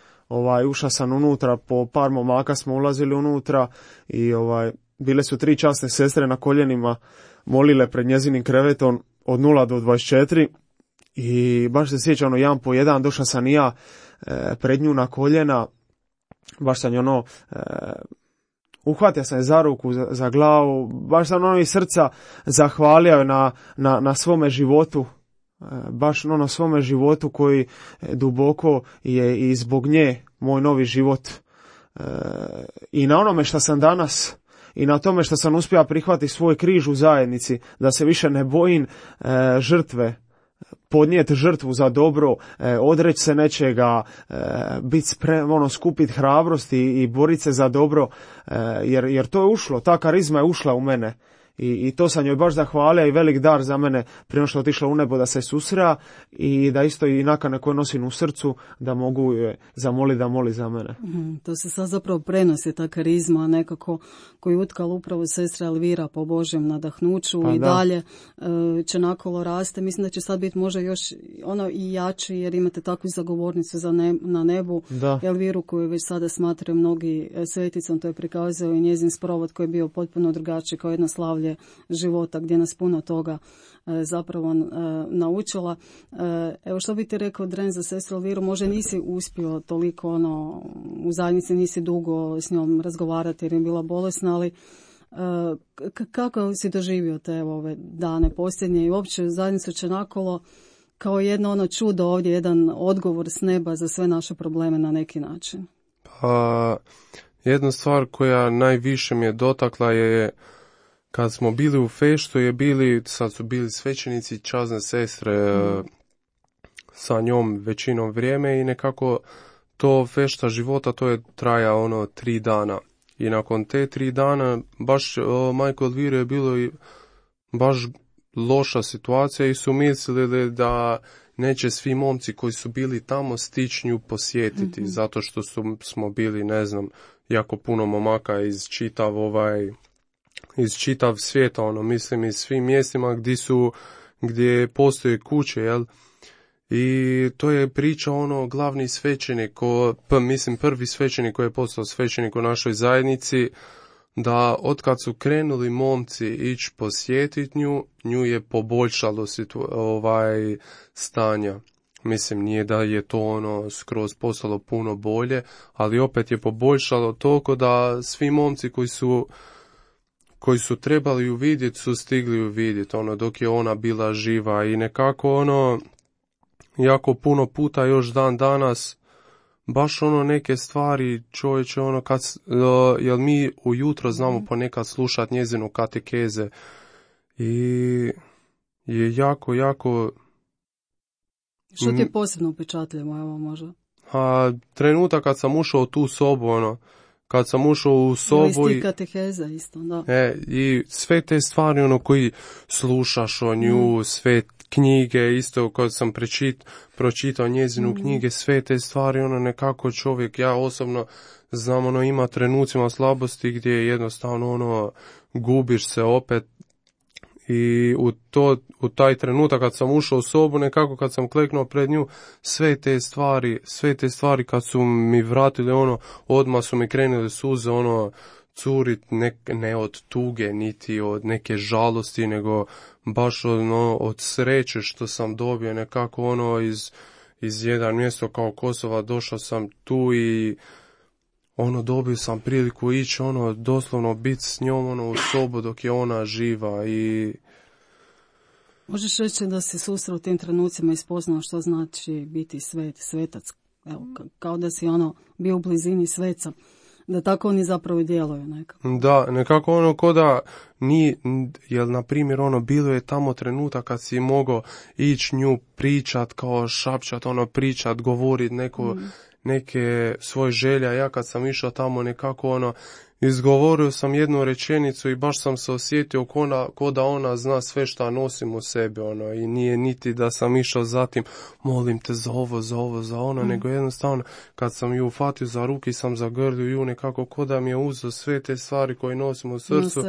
C: Ušao sam unutra, po par momaka smo ulazili unutra i bile su 3 časne sestre na koljenima, molile pred njezinim krevetom od 0 do 24 i baš se sjećam, jedan po jedan, došao sam i ja pred nju na koljena, baš sam uhvatio sam je za ruku, za glavu, baš sam iz srca zahvalio na svome životu, baš na svome životu koji duboko je i zbog nje moj novi život. I na onome što sam danas i na tome što sam uspio prihvatiti svoj križ u zajednici, da se više ne bojim žrtve, podnijeti žrtvu za dobro, odreći se nečega, biti spreman, skupiti hrabrost i boriti se za dobro, jer to je ušlo, ta karizma je ušla u mene. I to sam joj baš zahvalio i velik dar za mene prije što je otišla u nebo da se susrela i da isto i nakane koje nosim u srcu da mogu je zamoliti da moli za mene.
B: To se sad zapravo prenosi, ta karizma nekako koju utkala upravo sestra Elvira po Božjem nadahnuću i dalje Čanakolo raste. Mislim da će sad biti možda još i jači jer imate takvu zagovornicu na nebu. Da. Elviru koju već sada smatraju mnogi sveticom, to je prikazao i njezin sprovod koji je bio potpuno drugačiji, kao jedno slavlje života gdje nas puno toga zapravo naučila. Evo što bi ti rekao, Dren, za sestru Elviru, možda nisi uspio toliko u zajednici, nisi dugo s njom razgovarati jer je bila bolesna, ali kako si doživio te ove dane posljednje i uopće zajednicu Čanakolo kao jedno čudo ovdje, jedan odgovor s neba za sve naše probleme na neki način?
D: Pa, jedna stvar koja najviše mi je dotakla je kad smo bili u feštu, sad su bili svećenici, časne sestre sa njom većinom vrijeme i nekako to fešta života, to je traja 3 dana. I nakon te 3 dana, baš majko Elvire je bilo i baš loša situacija i su mislili da neće svi momci koji su bili tamo stići nju posjetiti, zato što smo bili, ne znam, jako puno momaka iz čitav svijeta, mislim iz svim mjestima gdje postoje kuće, jel? I to je priča glavni svećenik, prvi svećenik koji je postao svećenik u našoj zajednici, da otkad su krenuli momci ići posjetiti nju je poboljšalo stanja. Mislim, nije da je to skroz postalo puno bolje, ali opet je poboljšalo toliko da svi momci koji su trebali ju vidjeti su stigli ju vidjeti, dok je ona bila živa i nekako jako puno puta još dan danas baš neke stvari čovječe jer mi ujutro znamo ponekad slušati njezinu katekeze i je jako
B: Što ti je posebno upečatljivo, evo možda?
D: Trenutak kad sam ušao u tu sobu, kad sam ušao u sobu
B: i kateheza isto, da.
D: I sve te stvari koji slušaš o nju, sve knjige, isto kad sam pročitao njezinu knjige, sve te stvari, nekako čovjek, ja osobno znam, ima trenucima slabosti gdje jednostavno gubiš se opet. I u taj trenutak kad sam ušao u sobu, nekako kad sam kleknuo pred nju, sve te stvari kad su mi vratili, odmah su mi krenule suze, curit, ne od tuge, niti od neke žalosti, nego baš od sreće što sam dobio nekako iz jedan mjesto kao Kosova, došao sam tu i dobio sam priliku ići, doslovno biti s njom, u sobu dok je ona živa i...
B: Možeš reći da si susreo u tim trenucima i spoznao što znači biti svetac, evo, kao da si bio u blizini sveca, da tako oni zapravo djeluju nekako.
D: Da, nekako ko da jer na primjer bilo je tamo trenutak kad si mogao ići nju pričat, kao šapčat, pričat, govorit neke svoje želja. Ja kad sam išao tamo nekako izgovorio sam jednu rečenicu i baš sam se osjetio ko da ona zna sve što nosim u sebi, i nije niti da sam išao zatim molim te za ovo, nego jednostavno kad sam ju ufatio za ruki sam zagrlio ju nekako ko da mi je uzeo sve te stvari koje nosim u srcu,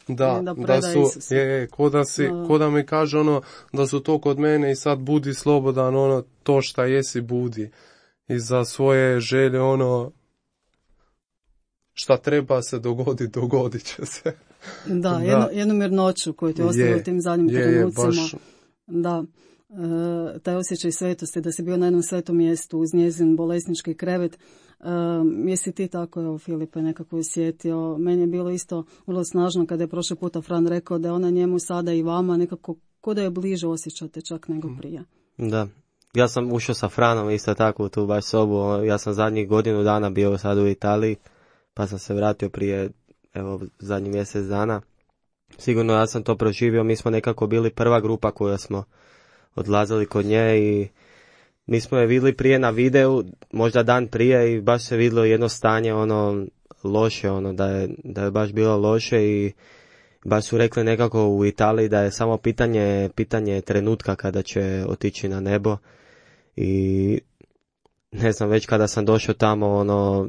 D: da su ko da mi kaže da su to kod mene i sad budi slobodan, to šta jesi budi. I za svoje želje šta treba se dogodit će se.
B: Da, jednu mirnoću koju ti ostavio u tim zadnjim trenucima. Baš... Da, taj osjećaj svetosti, da si bio na jednom svetom mjestu uz njezin bolesnički krevet. Jesi ti tako, evo Filipe, nekako osjetio? Meni je bilo isto vrlo snažno kada je prošli puta Fran rekao da je ona njemu sada i vama nekako ko da je bliže osjećate čak nego prije.
E: Da. Ja sam ušao sa Franom isto tako u tu baš sobu, ja sam zadnjih godinu dana bio sad u Italiji, pa sam se vratio prije, zadnjih mjesec dana. Sigurno ja sam to proživio, mi smo nekako bili prva grupa koja smo odlazili kod nje i mi smo je vidjeli prije na videu, možda dan prije i baš se vidjelo jedno stanje loše, da je baš bilo loše i baš su rekli nekako u Italiji da je samo pitanje trenutka kada će otići na nebo. I ne znam, već kada sam došao tamo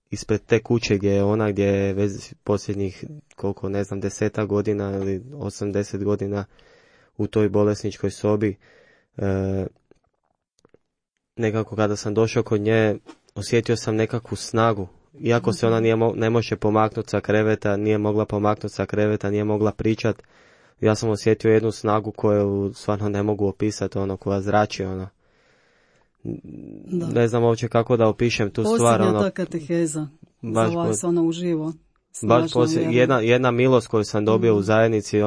E: ispred te kuće gdje je ona, gdje je već posljednjih 10 godina ili 80 godina u toj bolesničkoj sobi, nekako kada sam došao kod nje osjetio sam nekakvu snagu. Iako se ona ne može pomaknuti sa kreveta, nije mogla pomaknuti sa kreveta, nije mogla pričat, ja sam osjetio jednu snagu koju stvarno ne mogu opisati, koja zrači, Ne znam uopće kako da opišem tu stvar.
B: Posljednja ta kateheza za vas, uživo.
E: Baš jedna milost koju sam dobio u zajednici,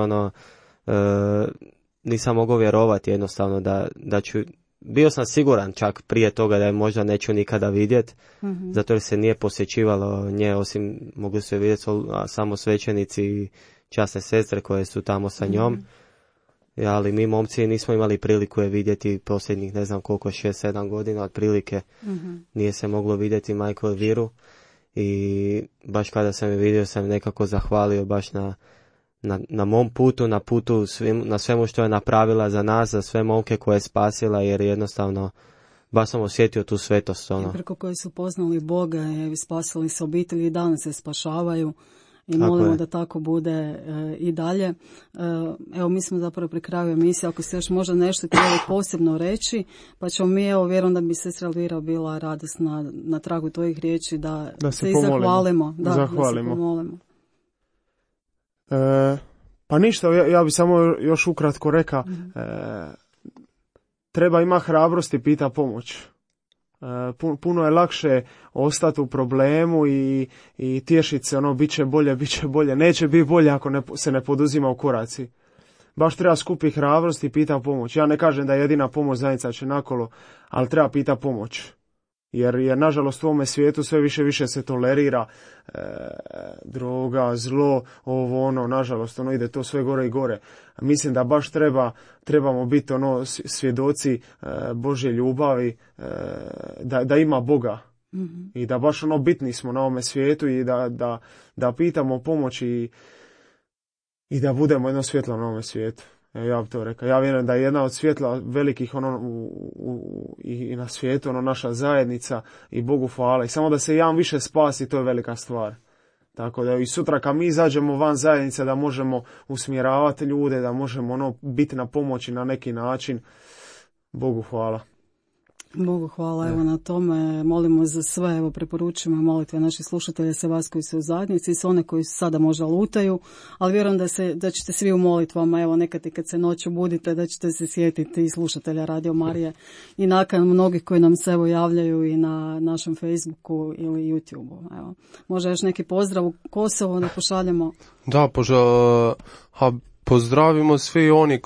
E: nisam mogao vjerovati jednostavno da ću... Bio sam siguran čak prije toga da je možda neću nikada vidjeti, zato jer se nije posjećivalo nje, osim mogli su je vidjeti samo svećenici i časne sestre koje su tamo sa njom. Ali mi momci nismo imali priliku je vidjeti posljednjih 6-7 godina otprilike. Nije se moglo vidjeti majku Elviru i baš kada sam je vidio sam nekako zahvalio baš na mom putu, na svemu što je napravila za nas, za sve momke koje je spasila, jer jednostavno baš sam osjetio tu svetost.
B: I preko koje su poznali Boga i spasili se obitelji i danas se spašavaju. I molimo da tako bude i dalje. Evo, mi smo zapravo pri kraju emisije. Ako ste još možda nešto htjeli posebno reći, pa ćemo mi, evo, vjerujem da bi sestra Elvira bila radosna na tragu tvojih riječi da se i zahvalimo. Da se pomolimo.
C: Pa ništa, ja bi samo još ukratko rekao, treba ima hrabrosti pita pomoć. Puno je lakše ostati u problemu i tješiti se, bit će bolje. Neće biti bolje ako se ne poduzima u koraci. Baš treba skupiti hrabrost i pita pomoć. Ja ne kažem da je jedina pomoć zajednica će nakolo, ali treba pita pomoć. Jer nažalost u ovome svijetu sve više se tolerira droga, zlo, nažalost ide to sve gore i gore. Mislim da baš trebamo biti svjedoci Božje ljubavi, da ima Boga. Mm-hmm. I da baš bitni smo na ovome svijetu i da pitamo pomoć i da budemo jedno svjetlo na ovome svijetu. Ja bih to rekao. Ja vjerujem da je jedna od svjetla velikih i na svijetu naša zajednica i Bogu hvala. I samo da se jedan više spasi, to je velika stvar. Tako da i sutra kad mi izađemo van zajednice da možemo usmjeravati ljude, da možemo biti na pomoći na neki način. Bogu hvala.
B: Bogu hvala, evo na tome. Molimo za sve, evo preporučujemo molitve naših slušatelja, sve vas koji su u zajednici, sve one koji sada možda lutaju, ali vjerujem da ćete svi u molitvama, evo nekad i kad se noću budite, da ćete se sjetiti i slušatelja Radio Marije i nakon mnogih koji nam se evo javljaju i na našem Facebooku ili YouTubeu. Evo, možda još neki pozdrav u Kosovo da pošaljemo?
D: Da, pozdravimo svi oni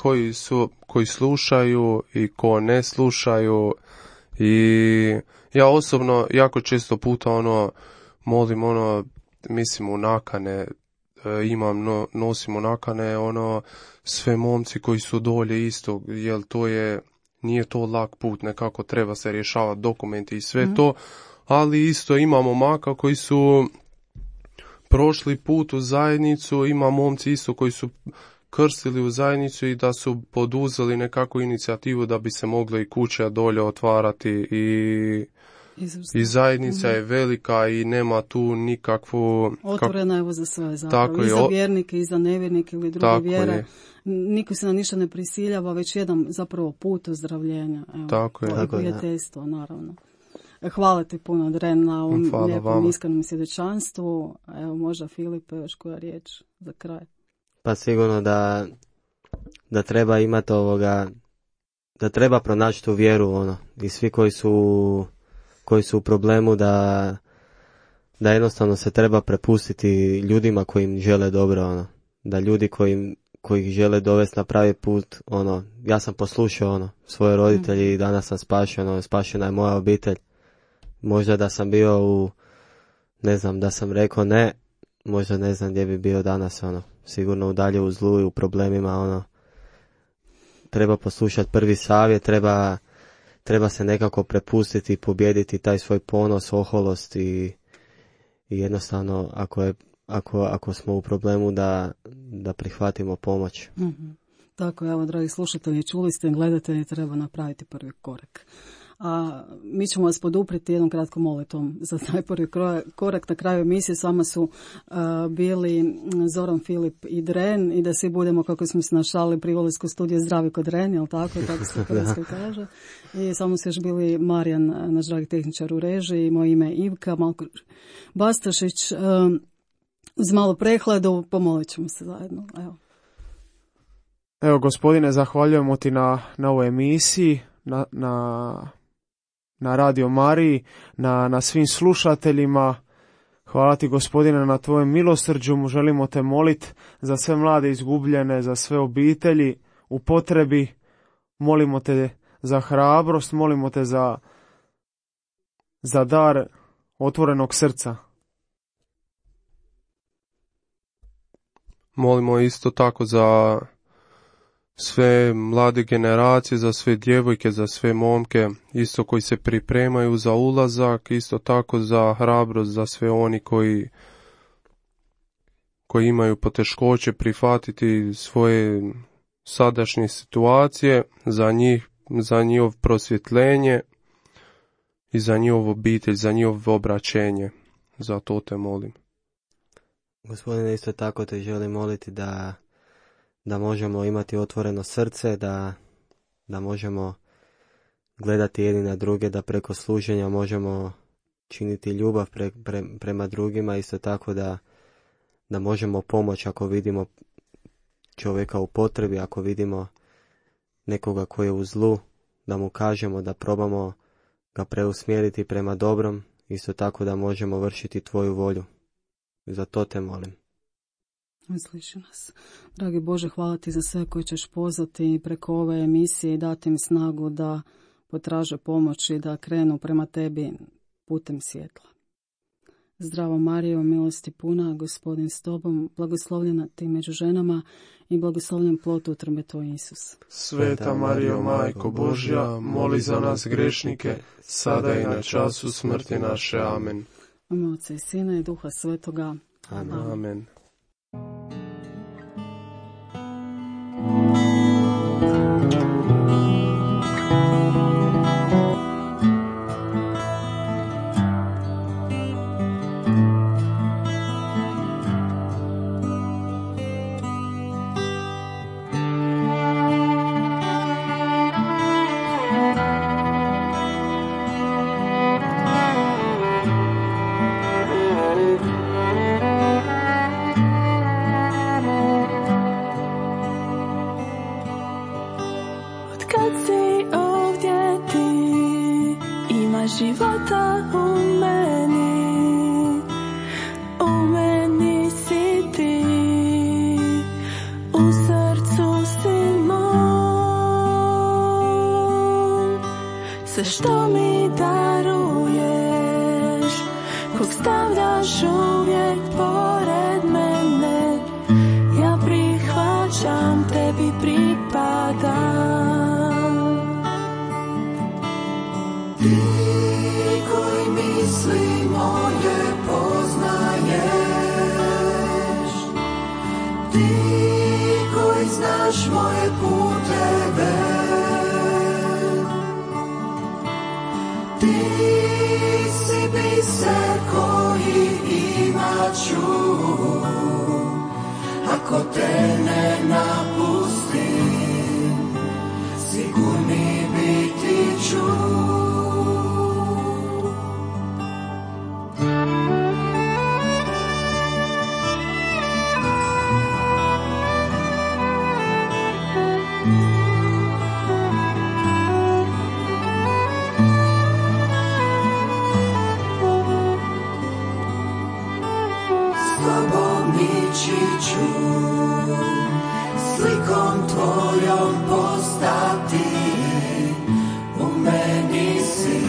D: koji slušaju i ko ne slušaju. I ja osobno jako često puta molim mislim u nakane, nosim u nakane sve momci koji su dolje isto, jer nije to lak put, nekako treba se rješavati dokumenti i sve to, ali isto imamo maka koji su prošli put u zajednicu, ima momci isto koji su krstili u zajednicu i da su poduzeli nekakvu inicijativu da bi se mogle i kuće dolje otvarati i zajednica je velika i nema tu nikakvu...
B: Otvorena evo za sve zapravo, i za vjernike i za nevjernike ili druge vjere. Niko se na ništa ne prisiljava, već jedan zapravo put ozdravljenja. Evo,
D: tako je.
B: I prijateljstvo, naravno. Hvala ti puno, Dren, na ovom lijepom iskrenom svjedočanstvu. Evo, možda Filipe, još koja riječ za kraj.
E: Pa sigurno da treba imati da treba pronaći tu vjeru, i svi koji su u problemu da jednostavno se treba prepustiti ljudima koji im žele dobro, da ljudi koji ih žele dovesti na pravi put, ja sam poslušao svoje roditelji i danas sam spašena je moja obitelj. Možda da sam bio da sam rekao ne, možda ne znam gdje bi bio danas, sigurno dalje u zlu i u problemima, treba poslušati prvi savjet, treba se nekako prepustiti i pobijediti taj svoj ponos, oholost i jednostavno ako smo u problemu da prihvatimo pomoć.
B: Mm-hmm. Tako, evo, dragi slušatelji, čuli ste, gledatelji, treba napraviti prvi korak. A mi ćemo vas poduprijeti jednom kratkom molitvom za taj prvi korak. Na kraju emisije s vama su bili Zoran, Filip i Dren, i da svi budemo, kako smo se našali, pri ulasku studiju zdravi kod Dren, jel tako se u Hrvatskoj kaže. I samo su još bili Marijan, naš dragi tehničar u režiji, moje ime je Ivka, Malko Bastašić. Uz malu prehladu pomolit ćemo se zajedno.
C: Evo, gospodine, zahvaljujemo ti na ovoj emisiji, na Radio Mariji, na svim slušateljima. Hvala ti, gospodine, na tvojem milosrđu. Želimo te moliti za sve mlade izgubljene, za sve obitelji u potrebi. Molimo te za hrabrost, molimo te za dar otvorenog srca.
D: Molimo isto tako za sve mlade generacije, za sve djevojke, za sve momke, isto koji se pripremaju za ulazak, isto tako za hrabrost, za sve oni koji koji imaju poteškoće prihvatiti svoje sadašnje situacije, za njihov prosvjetljenje i za njihov obitelj, za njihovo obraćenje. Za to te molim.
E: Gospodine, isto tako te želim moliti da možemo imati otvoreno srce, da možemo gledati jedni na druge, da preko služenja možemo činiti ljubav prema drugima, isto tako da možemo pomoći ako vidimo čovjeka u potrebi, ako vidimo nekoga koji je u zlu, da mu kažemo, da probamo ga preusmjeriti prema dobrom, isto tako da možemo vršiti tvoju volju. Za to te molim.
B: Sliši nas. Dragi Bože, hvala ti za sve koje ćeš pozvati preko ove emisije i dati im snagu da potraže pomoć i da krenu prema tebi putem svjetla. Zdravo Marijo, milosti puna, Gospodin s tobom, blagoslovljena ti među ženama i blagoslovljen plod utrobe tvoj Isus.
D: Sveta Marijo, Majko Božja, moli za nas grešnike, sada i na času smrti naše. Amen.
B: U ime Oca i Sina i Duha Svetoga.
E: Amen.
D: Amen.
F: Života u meni si ti, u srcu si mom. Sve što mi daruješ, kog stavljaš uvijek pored mene, ja prihvaćam, tebi pripadam.
A: Ti koji misli moje poznaješ, ti koji znaš moje puteve, ti si biser koji imaću, ako te ne napustim, sigurni biti ću. Slikom tvojom postati, u meni si,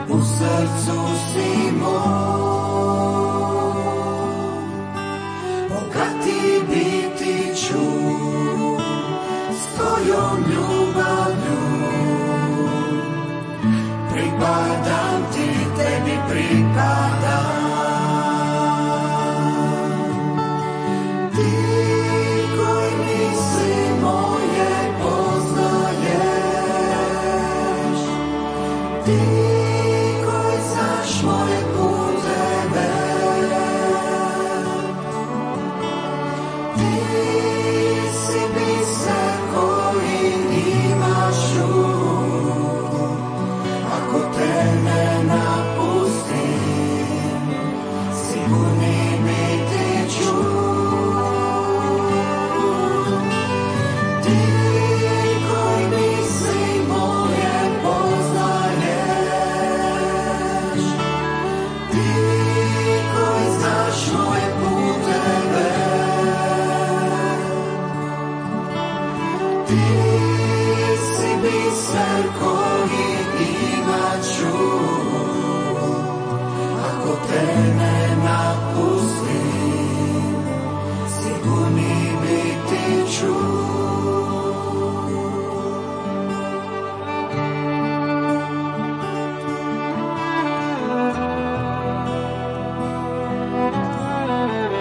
A: u srcu si mom. Bogati biti ću s tvojom ljubavlju, pripadam ti, tebi pripadam.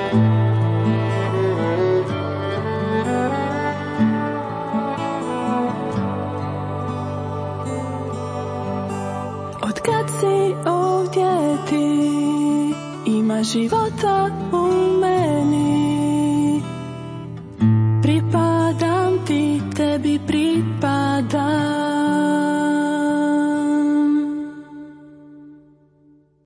F: Od kad si ovdje ti, ima života u